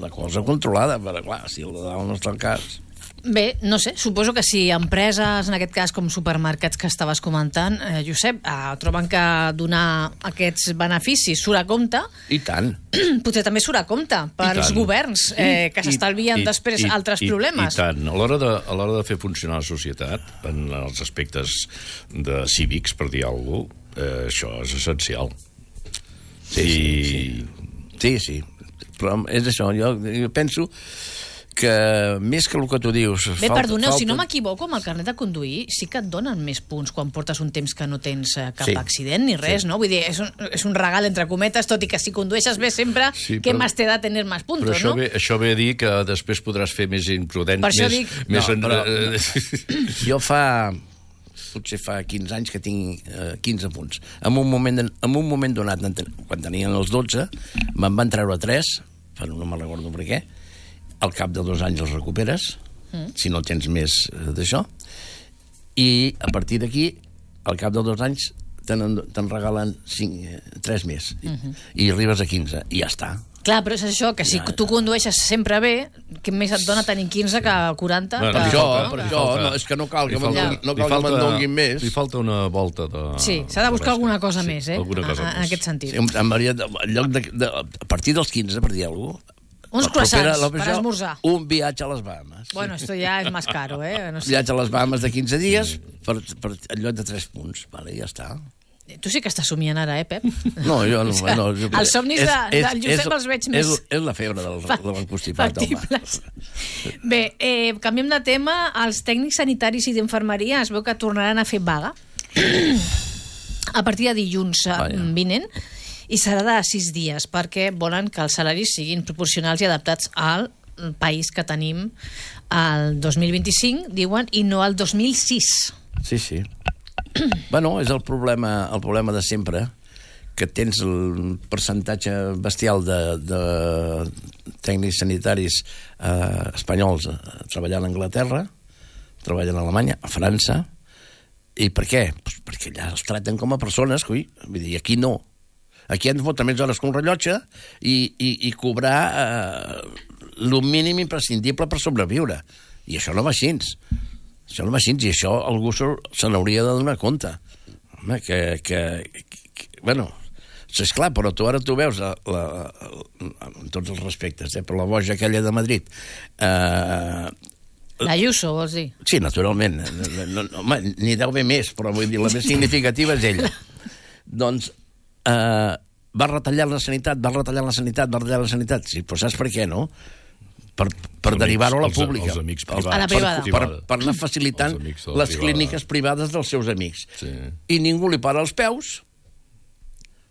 la cosa controlada, però clar, si el de dalt no està al cas... Bé, no sé, suposo que si empreses, en aquest cas com supermercats que estaves comentant, Josep, troben que donar aquests beneficis surt a compte... I tant. Potser també surt a compte pels governs, que s'estalvien després altres problemes. I tant. A l'hora de fer funcionar la societat, en els aspectes cívics, per dir alguna cosa, això és essencial. Sí. Però és això, jo penso que més que el que tu dius... Bé, perdoneu, si no m'equivoco, amb el carnet de conduir sí que et donen més punts quan portes un temps que no tens cap accident ni res, no? Vull dir, és un regal entre cometes, tot i que si condueixes bé sempre, què més te da tenir més puntos, no? Però això ve a dir que després podràs fer més imprudent, per això dic... Jo potser fa 15 anys que tinc 15 punts. En un moment donat, quan tenien els 12, me'n van treure 3, però no me'n recordo per què. Al cap de 2 anys els recuperes, si no tens més d'això, i a partir d'aquí al cap de 2 anys te'n regalen 3 més. I arribes a 15, i ja està. Clar, però és això, que si tu condueixes sempre bé, que més et dona tenir 15 que 40? Per això, no, és que no cal que me'n donguin més. Li falta una volta de... Sí, s'ha de buscar alguna cosa més, en aquest sentit. A partir dels 15, per dir alguna cosa, uns croissants per esmorzar. Un viatge a les Bahamas. Bueno, esto ya es más caro, No sé. Viatge a les Bahamas de 15 dies per en lloc de 3 punts. Vale, ja està. Tu sí que estàs somiant ara, Pep? No, jo no. Els somnis del Josep els veig més... És la febre del constipat, home. Bé, canviem de tema. Els tècnics sanitaris i d'infermeria es veu que tornaran a fer vaga a partir de dilluns vinent, i serà de 6 dies, perquè volen que els salaris siguin proporcionals i adaptats al país que tenim el 2025, diuen, i no al 2006. Sí. Bueno, és el problema de sempre, que tens el percentatge bestial de tècnics sanitaris espanyols treballant a Anglaterra, treballant a Alemanya, a França. I per què? Pues perquè allà els traten com a persones, vull dir, aquí no. Aquí han de fotre més hores que un rellotge i cobrar el mínim imprescindible per sobreviure. I això no va així. I això algú se n'hauria de donar compte. Home, bueno, esclar, però ara tu veus, amb tots els respectes, per la boja aquella de Madrid... L'Ayuso, vols dir? Sí, naturalment. Home, n'hi deu haver més, però vull dir, la més significativa és ella. Doncs va retallar la sanitat. Sí, però saps per què, no? Per derivar-ho a la pública. A la privada. Per anar facilitant les clíniques privades dels seus amics. I ningú li para els peus.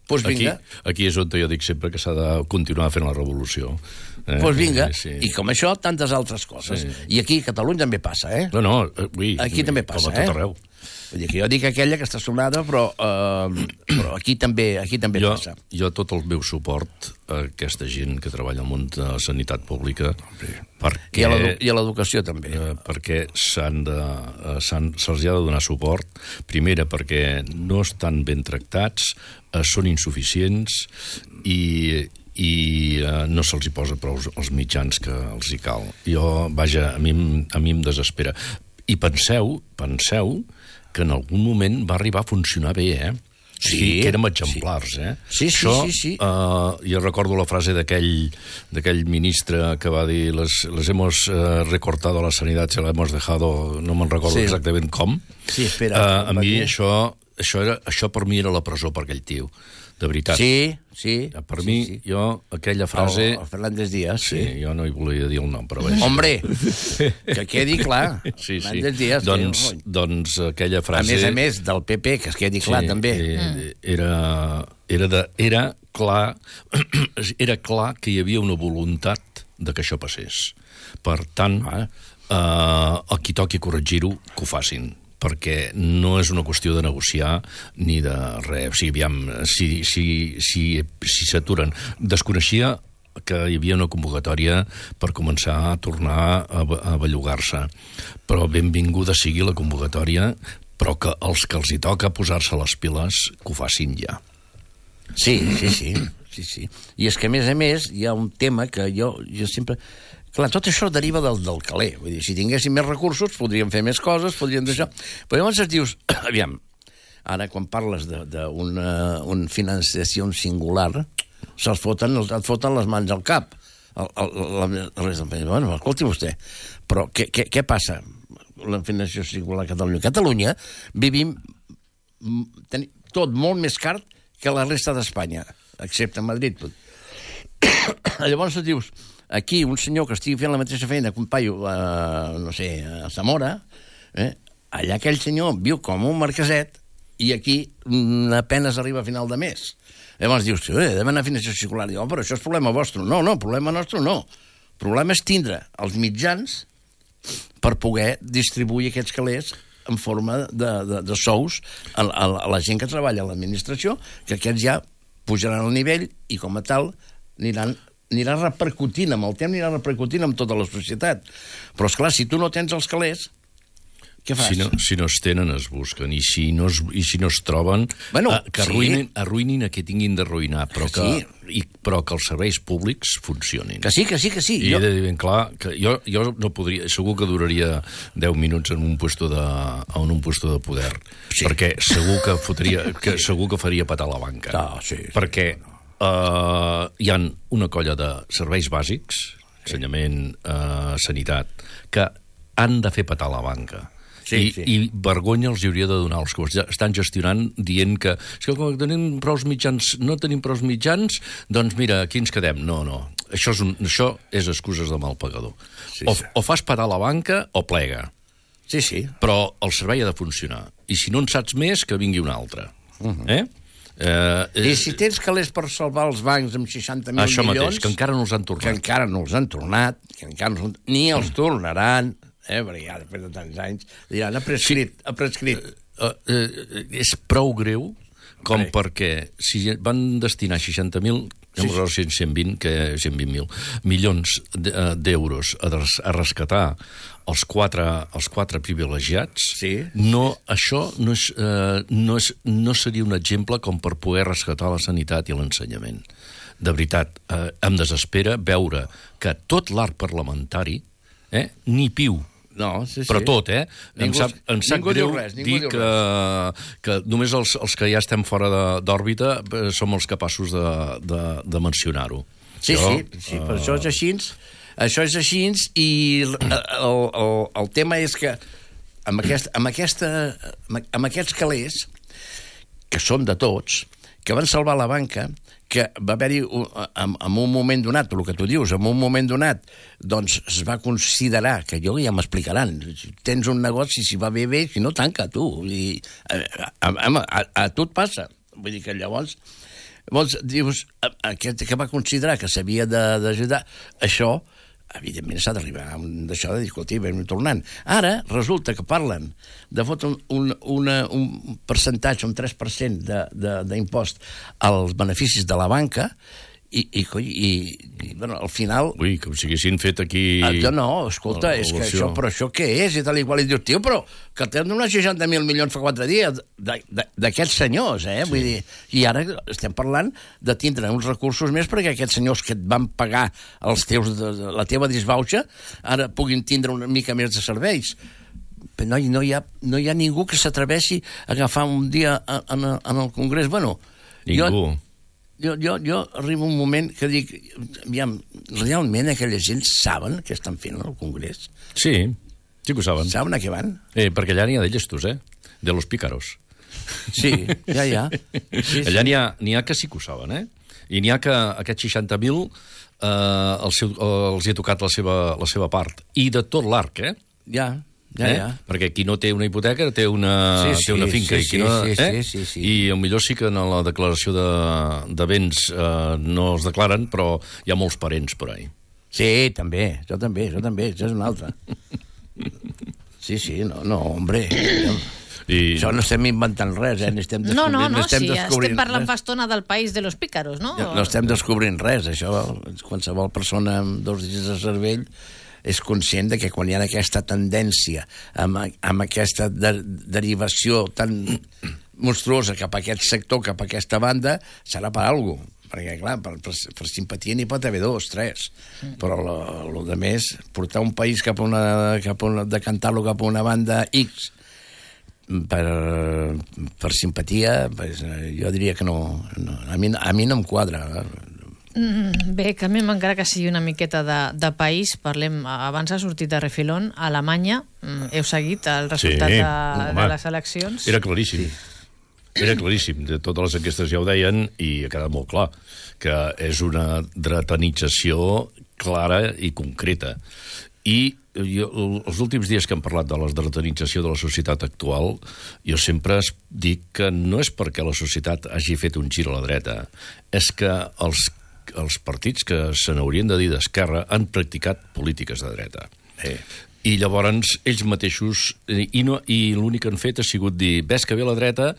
Doncs vinga. Aquí és on jo dic sempre que s'ha de continuar fent la revolució. Doncs vinga. I com això, tantes altres coses. I aquí a Catalunya també passa, No, aquí també passa, com a tot arreu. Vull dir que jo dic aquella que està sonada, però aquí també passa. Jo tot el meu suport a aquesta gent que treballa al món de la sanitat pública, perquè... I a l'educació també. Perquè se'ls ha de donar suport. Primera, perquè no estan ben tractats, són insuficients i no se'ls hi posa prou els mitjans que els hi cal. Vaja, a mi em desespera. I penseu que en algun moment va arribar a funcionar bé, Sí, que érem exemplars, Sí. Jo recordo la frase d'aquell ministre que va dir les hemos recortado la sanidad, se la hemos dejado, no me'n recordo exactament com. Sí, espera. A mi això per mi era la presó per aquell tio, de veritat. Sí. Per mi, jo, aquella frase... El Fernández Díaz, sí. Jo no hi volia dir el nom, però bé. Hombre, que quedi clar. Sí. Fernández Díaz. Doncs aquella frase... A més del PP, que es quedi clar, també. Era clar que hi havia una voluntat de que això passés. Per tant, el qui toqui corregir-ho, que ho facin, perquè no és una qüestió de negociar ni de res. O sigui, aviam, si s'aturen. Desconeixia que hi havia una convocatòria per començar a tornar a bellugar-se. Però benvinguda sigui la convocatòria, però que els que els hi toca posar-se les piles, que ho facin ja. Sí. I és que, a més, hi ha un tema que jo sempre... Clar, tot això deriva del caler. Vull dir, si tinguéssim més recursos, podríem fer més coses, podríem deixar... Però llavors et dius, aviam, ara quan parles d'una financiació singular, et foten les mans al cap. Bueno, escolti vostè, però què passa? La financiació singular a Catalunya. A Catalunya vivim tot molt més car que la resta d'Espanya, excepte Madrid. Llavors et dius... Aquí, un senyor que estigui fent la mateixa feina que un paio, no sé, a Zamora, allà aquell senyor viu com un marqueset i aquí apenas arriba a final de mes. Llavors dius, demana financiació singular. Diu, però això és problema vostre. No, problema nostre no. El problema és tindre els mitjans per poder distribuir aquests calés en forma de sous a la gent que treballa a l'administració, que aquests ja pujaran al nivell i com a tal anirà repercutint amb el temps, anirà repercutint amb tota la societat. Però, esclar, si tu no tens els calés, Què fas? Si no es tenen, es busquen. I si no es troben, que arruïnin a qui tinguin d'arruïnar, però que els serveis públics funcionin. Que sí. I he de dir ben clar que jo no podria... Segur que duraria 10 minuts en un puesto de poder. Sí. Perquè segur que faria petar la banca. Perquè hi ha una colla de serveis bàsics, ensenyament, sanitat, que han de fer petar la banca. I vergonya els hauria de donar els que estan gestionant dient que quan tenim prous mitjans, no tenim prous mitjans, doncs mira, aquí ens quedem. No. Això és excuses de mal pagador. O fas petar la banca o plega. Sí. Però el servei ha de funcionar. I si no en saps més, que vingui un altre. I si tens calés per salvar els bancs amb 60.000 milions... Això mateix, que encara no els han tornat. Que encara no els han tornat, ni els tornaran... perquè ja després de tants anys diran, ha prescrit. És prou greu com perquè si van destinar 60.000, 120.000 milions d'euros a rescatar els quatre privilegiats, això no seria un exemple com per poder rescatar la sanitat i l'ensenyament. De veritat, em desespera veure que tot l'arc parlamentari, ni piu, però tot, em sap greu dir que només els que ja estem fora d'òrbita som els capaços de mencionar-ho. Sí, però això és així. Això és així i el tema és que amb aquests calés, que són de tots, que van salvar la banca, que va haver-hi, en un moment donat, el que tu dius, en un moment donat, doncs es va considerar, que ja m'explicaran, tens un negoci, si va bé, si no, tanca, tu. A tu et passa. Vull dir que llavors, dius, aquest que va considerar que s'havia d'ajudar, això, evidentment s'ha d'arribar a això de dir, escolti, vam tornant. Ara resulta que parlen de fotre un percentatge, un 3% d'impost als beneficis de la banca i al final... Ui, com si haguessin fet aquí... No, escolta, és que això, però això què és? I tal i qual, i dius, tio, però que t'hem donat 60.000 milions fa 4 dies d'aquests senyors, vull dir, i ara estem parlant de tindre uns recursos més perquè aquests senyors que et van pagar la teva disbauxa ara puguin tindre una mica més de serveis. Però no hi ha ningú que s'atreveixi a agafar un dia en el Congrés. Bueno, ningú. Jo arribo un moment que dic, aviam, realment aquella gent saben què estan fent al Congrés? Sí que ho saben. Saben a què van? Perquè allà n'hi ha de llestos, de los pícaros. Sí, ja. Allà n'hi ha que sí que ho saben, I n'hi ha que aquests 60.000 els hi ha tocat la seva part. I de tot l'arc, Ja. Perquè qui no té una hipoteca té una finca i potser sí que en la declaració de béns no es declaren, però hi ha molts parents per ahí. Sí, també, jo també, això és una altra. Sí, no, hombre. Això no estem inventant res, estem estem parlant fa estona del país de los pícaros, no? No estem descobrint res, això, qualsevol persona amb 2 dits de cervell és conscient de que quan hi ha aquesta tendència amb aquesta derivació tan monstruosa cap a aquest sector, cap a aquesta banda, serà per alguna cosa. Perquè, clar, per simpatia n'hi pot haver 2, 3. Però el de més, portar un país decantar-lo cap a una banda X per simpatia, jo diria que no. A mi no em quadra. Bé, que a mi m'encara que sigui una miqueta de país, parlem, abans ha sortit de refilón, a Alemanya, heu seguit el resultat de les eleccions? Era claríssim. Era claríssim, de totes les enquestes ja ho deien i ha quedat molt clar que és una dretanització clara i concreta. I els últims dies que hem parlat de la dretanització de la societat actual, jo sempre dic que no és perquè la societat hagi fet un gir a la dreta, és que els partits que se n'haurien de dir d'esquerra han practicat polítiques de dreta. I llavors ells mateixos, i l'únic que han fet ha sigut dir, ves que ve la dreta,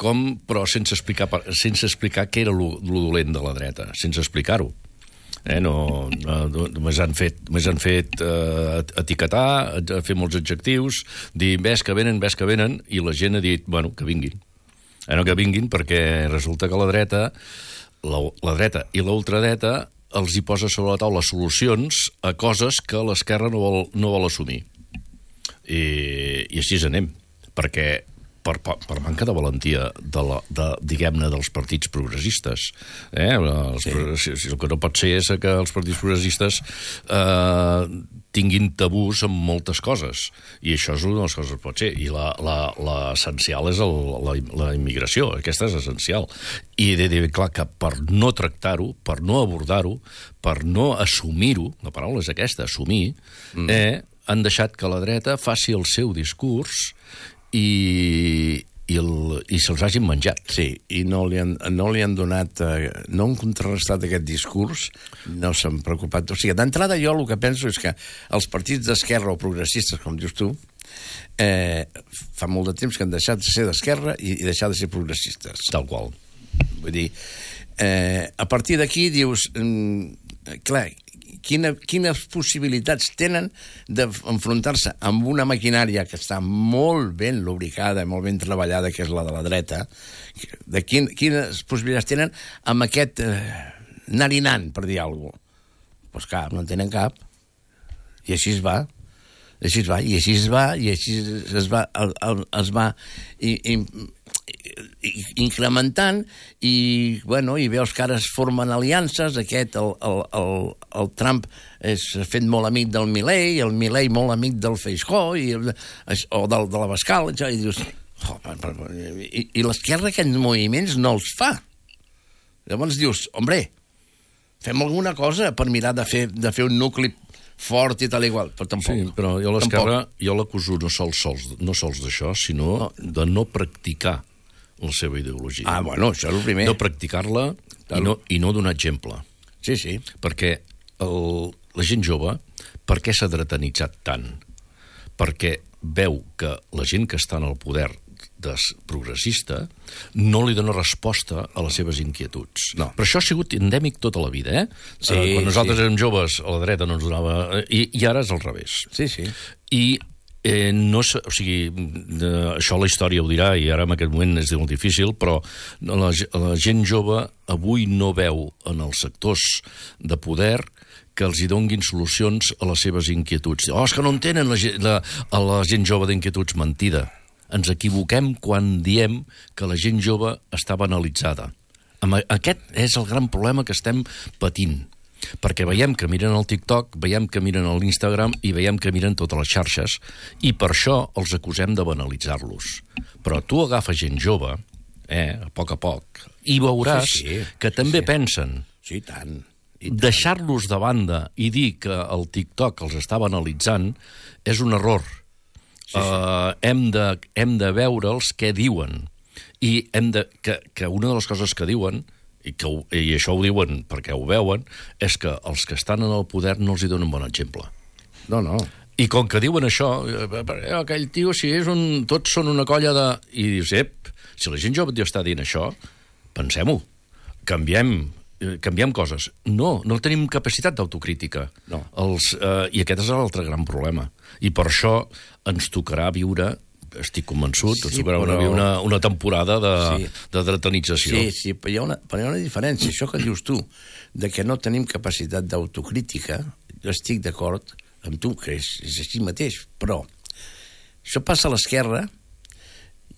però sense explicar què era lo dolent de la dreta, sense explicar-ho. Només han fet etiquetar, fer molts adjectius, dir ves que venen, i la gent ha dit, bueno, que vinguin. Que vinguin perquè resulta que la dreta i l'ultradreta els hi posa sobre la taula solucions a coses que l'esquerra no vol assumir. I així anem, perquè per manca de valentia diguem-ne, dels partits progressistes. El que no pot ser és que els partits progressistes tinguin tabús en moltes coses, i això és una de les coses que pot ser, i l'essencial és la immigració, aquesta és essencial, i he de dir clar que per no tractar-ho, per no abordar-ho, per no assumir-ho, la paraula és aquesta, assumir, han deixat que la dreta faci el seu discurs i se'ls hagin menjat. Sí, i no li han donat, no han contrarrestat aquest discurs, no s'han preocupat. O sigui, d'entrada jo el que penso és que els partits d'esquerra o progressistes, com dius tu, fa molt de temps que han deixat de ser d'esquerra i deixar de ser progressistes. Tal qual. Vull dir, a partir d'aquí dius, clar, quines possibilitats tenen d'enfrontar-se amb una maquinària que està molt ben lubricada, molt ben treballada, que és la de la dreta, quines possibilitats tenen amb aquest narinant, per dir alguna cosa? Doncs cap, no en tenen cap. I així es va. I així es va incrementant i veus que ara es formen aliances. El Trump s'ha fet molt amic del Milei, el Milei molt amic del Feijóo o de l'Abascal, i dius i l'esquerra aquests moviments no els fa. Llavors dius, hombre, fem alguna cosa per mirar de fer un nucli fort i tal igual, però tampoc. Sí, però jo l'esquerra, jo l'acuso no sols d'això, sinó de no practicar la seva ideologia. Això és el primer. No practicar-la i no donar exemple. Sí, sí. Perquè la gent jove, per què s'ha dretanitzat tant? Perquè veu que la gent que està en el poder progressista no li dona resposta a les seves inquietuds. No. Però això ha sigut endèmic tota la vida, Sí, quan nosaltres érem joves, a la dreta no ens donava... I ara és al revés. Sí, sí. I això la història ho dirà, i ara en aquest moment és molt difícil, però la gent jove avui no veu en els sectors de poder que els hi donguin solucions a les seves inquietuds. És que no entenen la gent jove d'inquietuds. Mentida. Ens equivoquem quan diem que la gent jove està banalitzada. Aquest és el gran problema que estem patint. Perquè veiem que miren el TikTok, veiem que miren l'Instagram i veiem que miren totes les xarxes, i per això els acusem de banalitzar-los. Però tu agafes gent jove, a poc, i veuràs que també pensen. Sí, tant. Deixar-los de banda i dir que el TikTok els està banalitzant és un error. Hem de veure'ls què diuen, i que una de les coses que diuen, i això ho diuen perquè ho veuen, és que els que estan en el poder no els hi donen bon exemple. No. I com que diuen això, aquell tio, tots són una colla de... I dius, si la gent jove està dient això, pensem-ho, canviem coses. No tenim capacitat d'autocrítica. No. I aquest és l'altre gran problema. I per això ens tocarà viure, estic convençut, ens tocarà viure una temporada de dretanització. Sí, però hi ha una diferència. Això que dius tu, de que no tenim capacitat d'autocrítica, jo estic d'acord amb tu, que és així mateix, però això passa a l'esquerra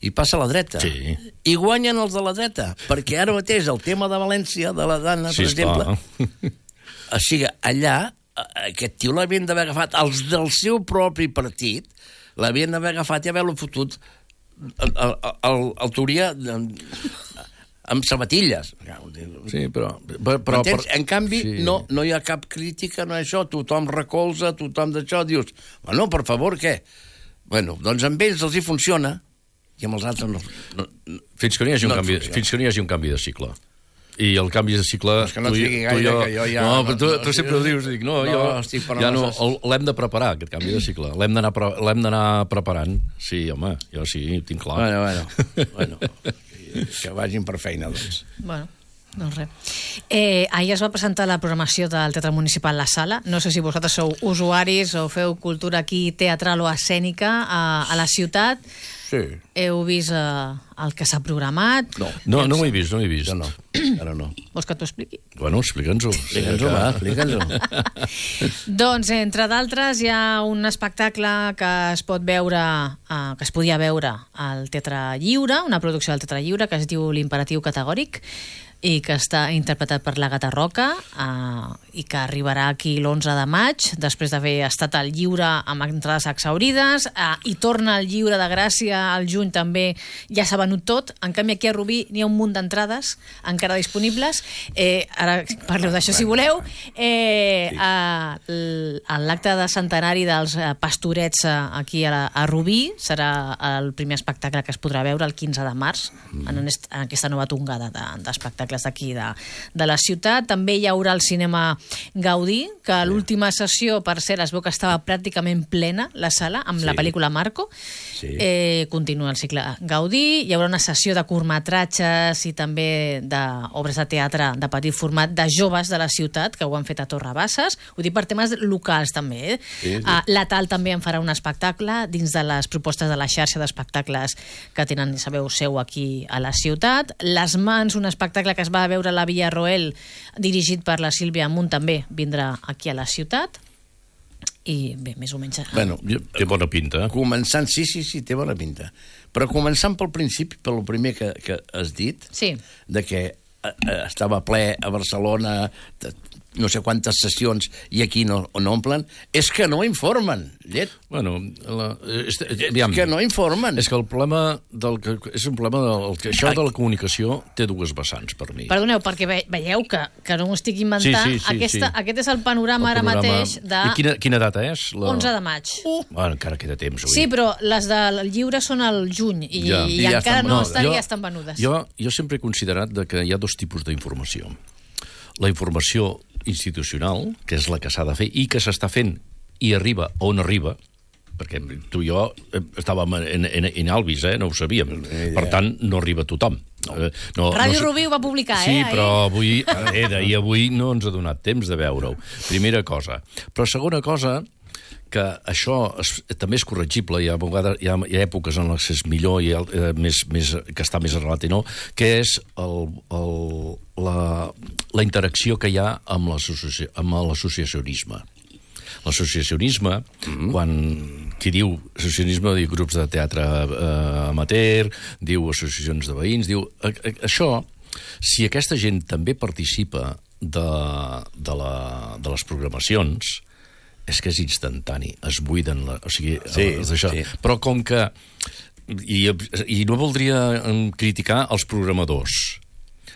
i passa a la dreta. Sí. I guanyen els de la dreta, perquè ara mateix el tema de València, de la Dana, per exemple, o sigui, allà, aquest tio l'havien d'haver agafat, els del seu propi partit, l'havien d'haver agafat i haver-lo fotut al Túria amb sabatilles. Sí, però en canvi, no hi ha cap crítica, no això, tothom recolza, tothom d'això, dius, bueno, per favor, què? Bueno, doncs amb ells els hi funciona, i amb els altres no. Fins que no hi hagi un canvi de cicle. I el canvi de cicle... És que no et digui gaire, que jo ja... No, però tu sempre ho dius, dic, l'hem de preparar, aquest canvi de cicle. L'hem d'anar preparant. Sí, home, jo sí, tinc clar. Bueno, que vagin per feina, doncs. Bueno. Doncs res. Ahir es va presentar la programació del Teatre Municipal La Sala. No sé si vosaltres sou usuaris o feu cultura aquí teatral o escènica a la ciutat. Sí. Heu vist el que s'ha programat? No ho he vist, no ho he vist. Jo no, ara no. Vols que t'ho expliqui? Bueno, explica'ns-ho. Explica'ns-ho. Doncs, entre d'altres, hi ha un espectacle que es pot veure, que es podia veure al Teatre Lliure, una producció del Teatre Lliure que es diu L'Imperatiu Categòric, i que està interpretat per l'Àgata Roca i que arribarà aquí l'11 de maig, després d'haver estat al Lliure amb entrades exhaurides, i torna al Lliure de Gràcia al juny també, ja s'ha venut tot. En canvi aquí a Rubí n'hi ha un munt d'entrades encara disponibles. Ara parleu d'això si voleu. L'acte de centenari dels Pastorets aquí a Rubí serà el primer espectacle que es podrà veure el 15 de març en aquesta nova tongada d'espectacles d'aquí de la ciutat. També hi haurà el cinema Gaudí, que a l'última sessió, per cert, es veu que estava pràcticament plena la sala amb la pel·lícula Marco. Continua el cicle Gaudí. Hi haurà una sessió de curtmetratges i també d'obres de teatre de petit format de joves de la ciutat que ho han fet a Torre Bassas. Ho dic per temes locals també. La Tal també en farà un espectacle dins de les propostes de la xarxa d'espectacles que tenen, sabeu, seu aquí a la ciutat. Les Mans, un espectacle que es va veure a la Villarroel, dirigit per la Sílvia Amunt, també vindrà aquí a la ciutat. I bé, més o menys... Bueno, té bona pinta. Començant, sí, té bona pinta. Però començant pel principi, pel primer que has dit, de que estava ple a Barcelona, no sé quantes sessions, i aquí no omplen, és que no informen, llet. Bueno, que no informen. És que el problema és un problema això de la comunicació té dues vessants per mi. Perdoneu, perquè veieu que no m'ho estic inventant. Aquest és el panorama ara mateix de... I quina data és? 11 de maig. Bueno, encara queda temps. Sí, però les del Lliure són al juny i encara no estan i ja estan venudes. Jo sempre he considerat que hi ha dos tipus d'informació. La informació institucional, que és la que s'ha de fer i que s'està fent i arriba on arriba, perquè tu i jo estàvem en Alvis, no ho sabíem, per tant no arriba a tothom. Ràdio Rubí ho va publicar, Sí, però avui no ens ha donat temps de veure-ho. Primera cosa. Però segona cosa, que això també és corregible, hi ha èpoques en les que és millor i que està més arrelat i no, que és la interacció que hi ha amb l'associacionisme. L'associacionisme, quan qui diu associacionisme, diu grups de teatre amateur, diu associacions de veïns, diu... Això, si aquesta gent també participa de les programacions, és que és instantani, es buiden, però com que... I no voldria criticar els programadors,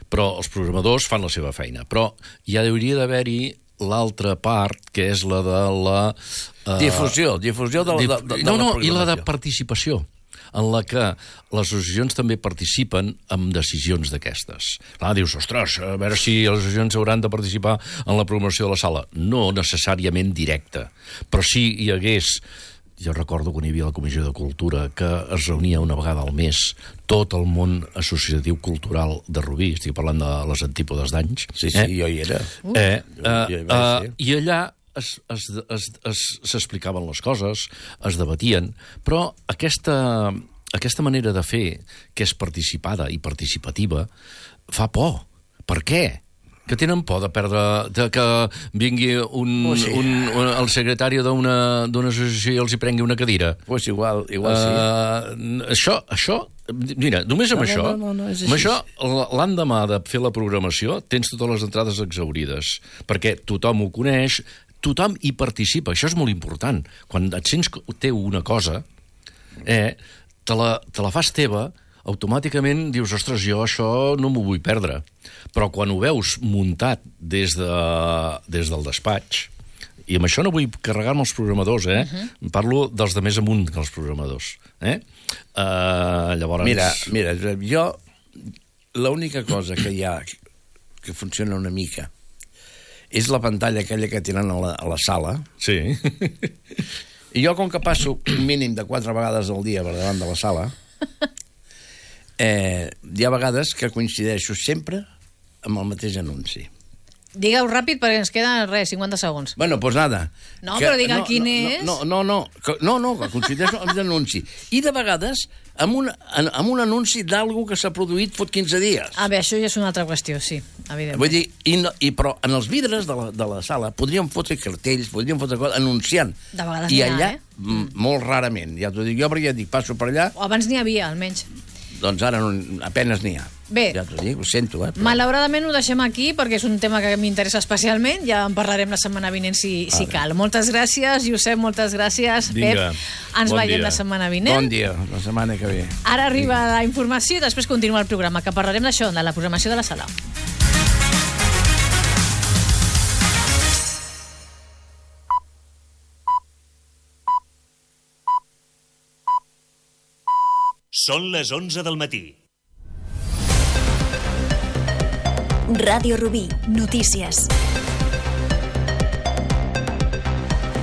però els programadors fan la seva feina, però ja hauria d'haver-hi l'altra part, que és la de la... Difusió de la programació. I la de participació, en la que les associacions també participen en decisions d'aquestes. Clar, dius, ostres, a veure si les associacions hauran de participar en la programació de la sala. No necessàriament directa, però sí hi hagués... Jo recordo quan hi havia la Comissió de Cultura, que es reunia una vegada al mes tot el món associatiu cultural de Rubí, estic parlant de les antípodes d'anys. Sí, jo hi era. I allà s'explicaven les coses, es debatien, però aquesta manera de fer, que és participada i participativa, fa por. Per què? Que tenen por de perdre... que vingui el secretari d'una associació i els hi prengui una cadira. Pues igual sí. Això, mira, només amb això, l'endemà de fer la programació tens totes les entrades exhaurides, perquè tothom ho coneix, tothom hi participa, això és molt important. Quan et sents que té una cosa, te la fas teva, automàticament dius, ostres, jo això no m'ho vull perdre. Però quan ho veus muntat des del despatx, i amb això no vull carregar-me els programadors, parlo dels de més amunt que els programadors. Llavors... Mira, jo l'única cosa que hi ha que funciona una mica és la pantalla aquella que tenen a la sala. Sí. I jo, com que passo un mínim de 4 vegades al dia per davant de la sala, hi ha vegades que coincideixo sempre amb el mateix anunci. Digue-ho ràpid perquè ens queden, 50 segons. Bueno, pues nada. No, però digue quin és. No, que coincideix amb l'anunci. I de vegades amb un anunci d'algú que s'ha produït fot 15 dies. Bé, això ja és una altra qüestió, sí, evidentment. Vull dir, però en els vidres de la sala podríem fotre cartells, podríem fotre coses anunciant. De vegades I allà, molt rarament, ja t'ho dic jo, perquè ja dic, passo per allà. O abans n'hi havia, almenys. Doncs ara apenes n'hi ha. Bé, ja t'ho dic, ho sento. Però... malauradament ho deixem aquí perquè és un tema que m'interessa especialment. Ja en parlarem la setmana vinent si cal. Moltes gràcies, Josep, moltes gràcies. Vinga, Pep, ens veiem la setmana vinent. Bon dia, la setmana que ve. Ara arriba la informació i després continua el programa, que parlarem d'això, de la programació de la sala. Són les 11 del matí. Ràdio Rubí, notícies.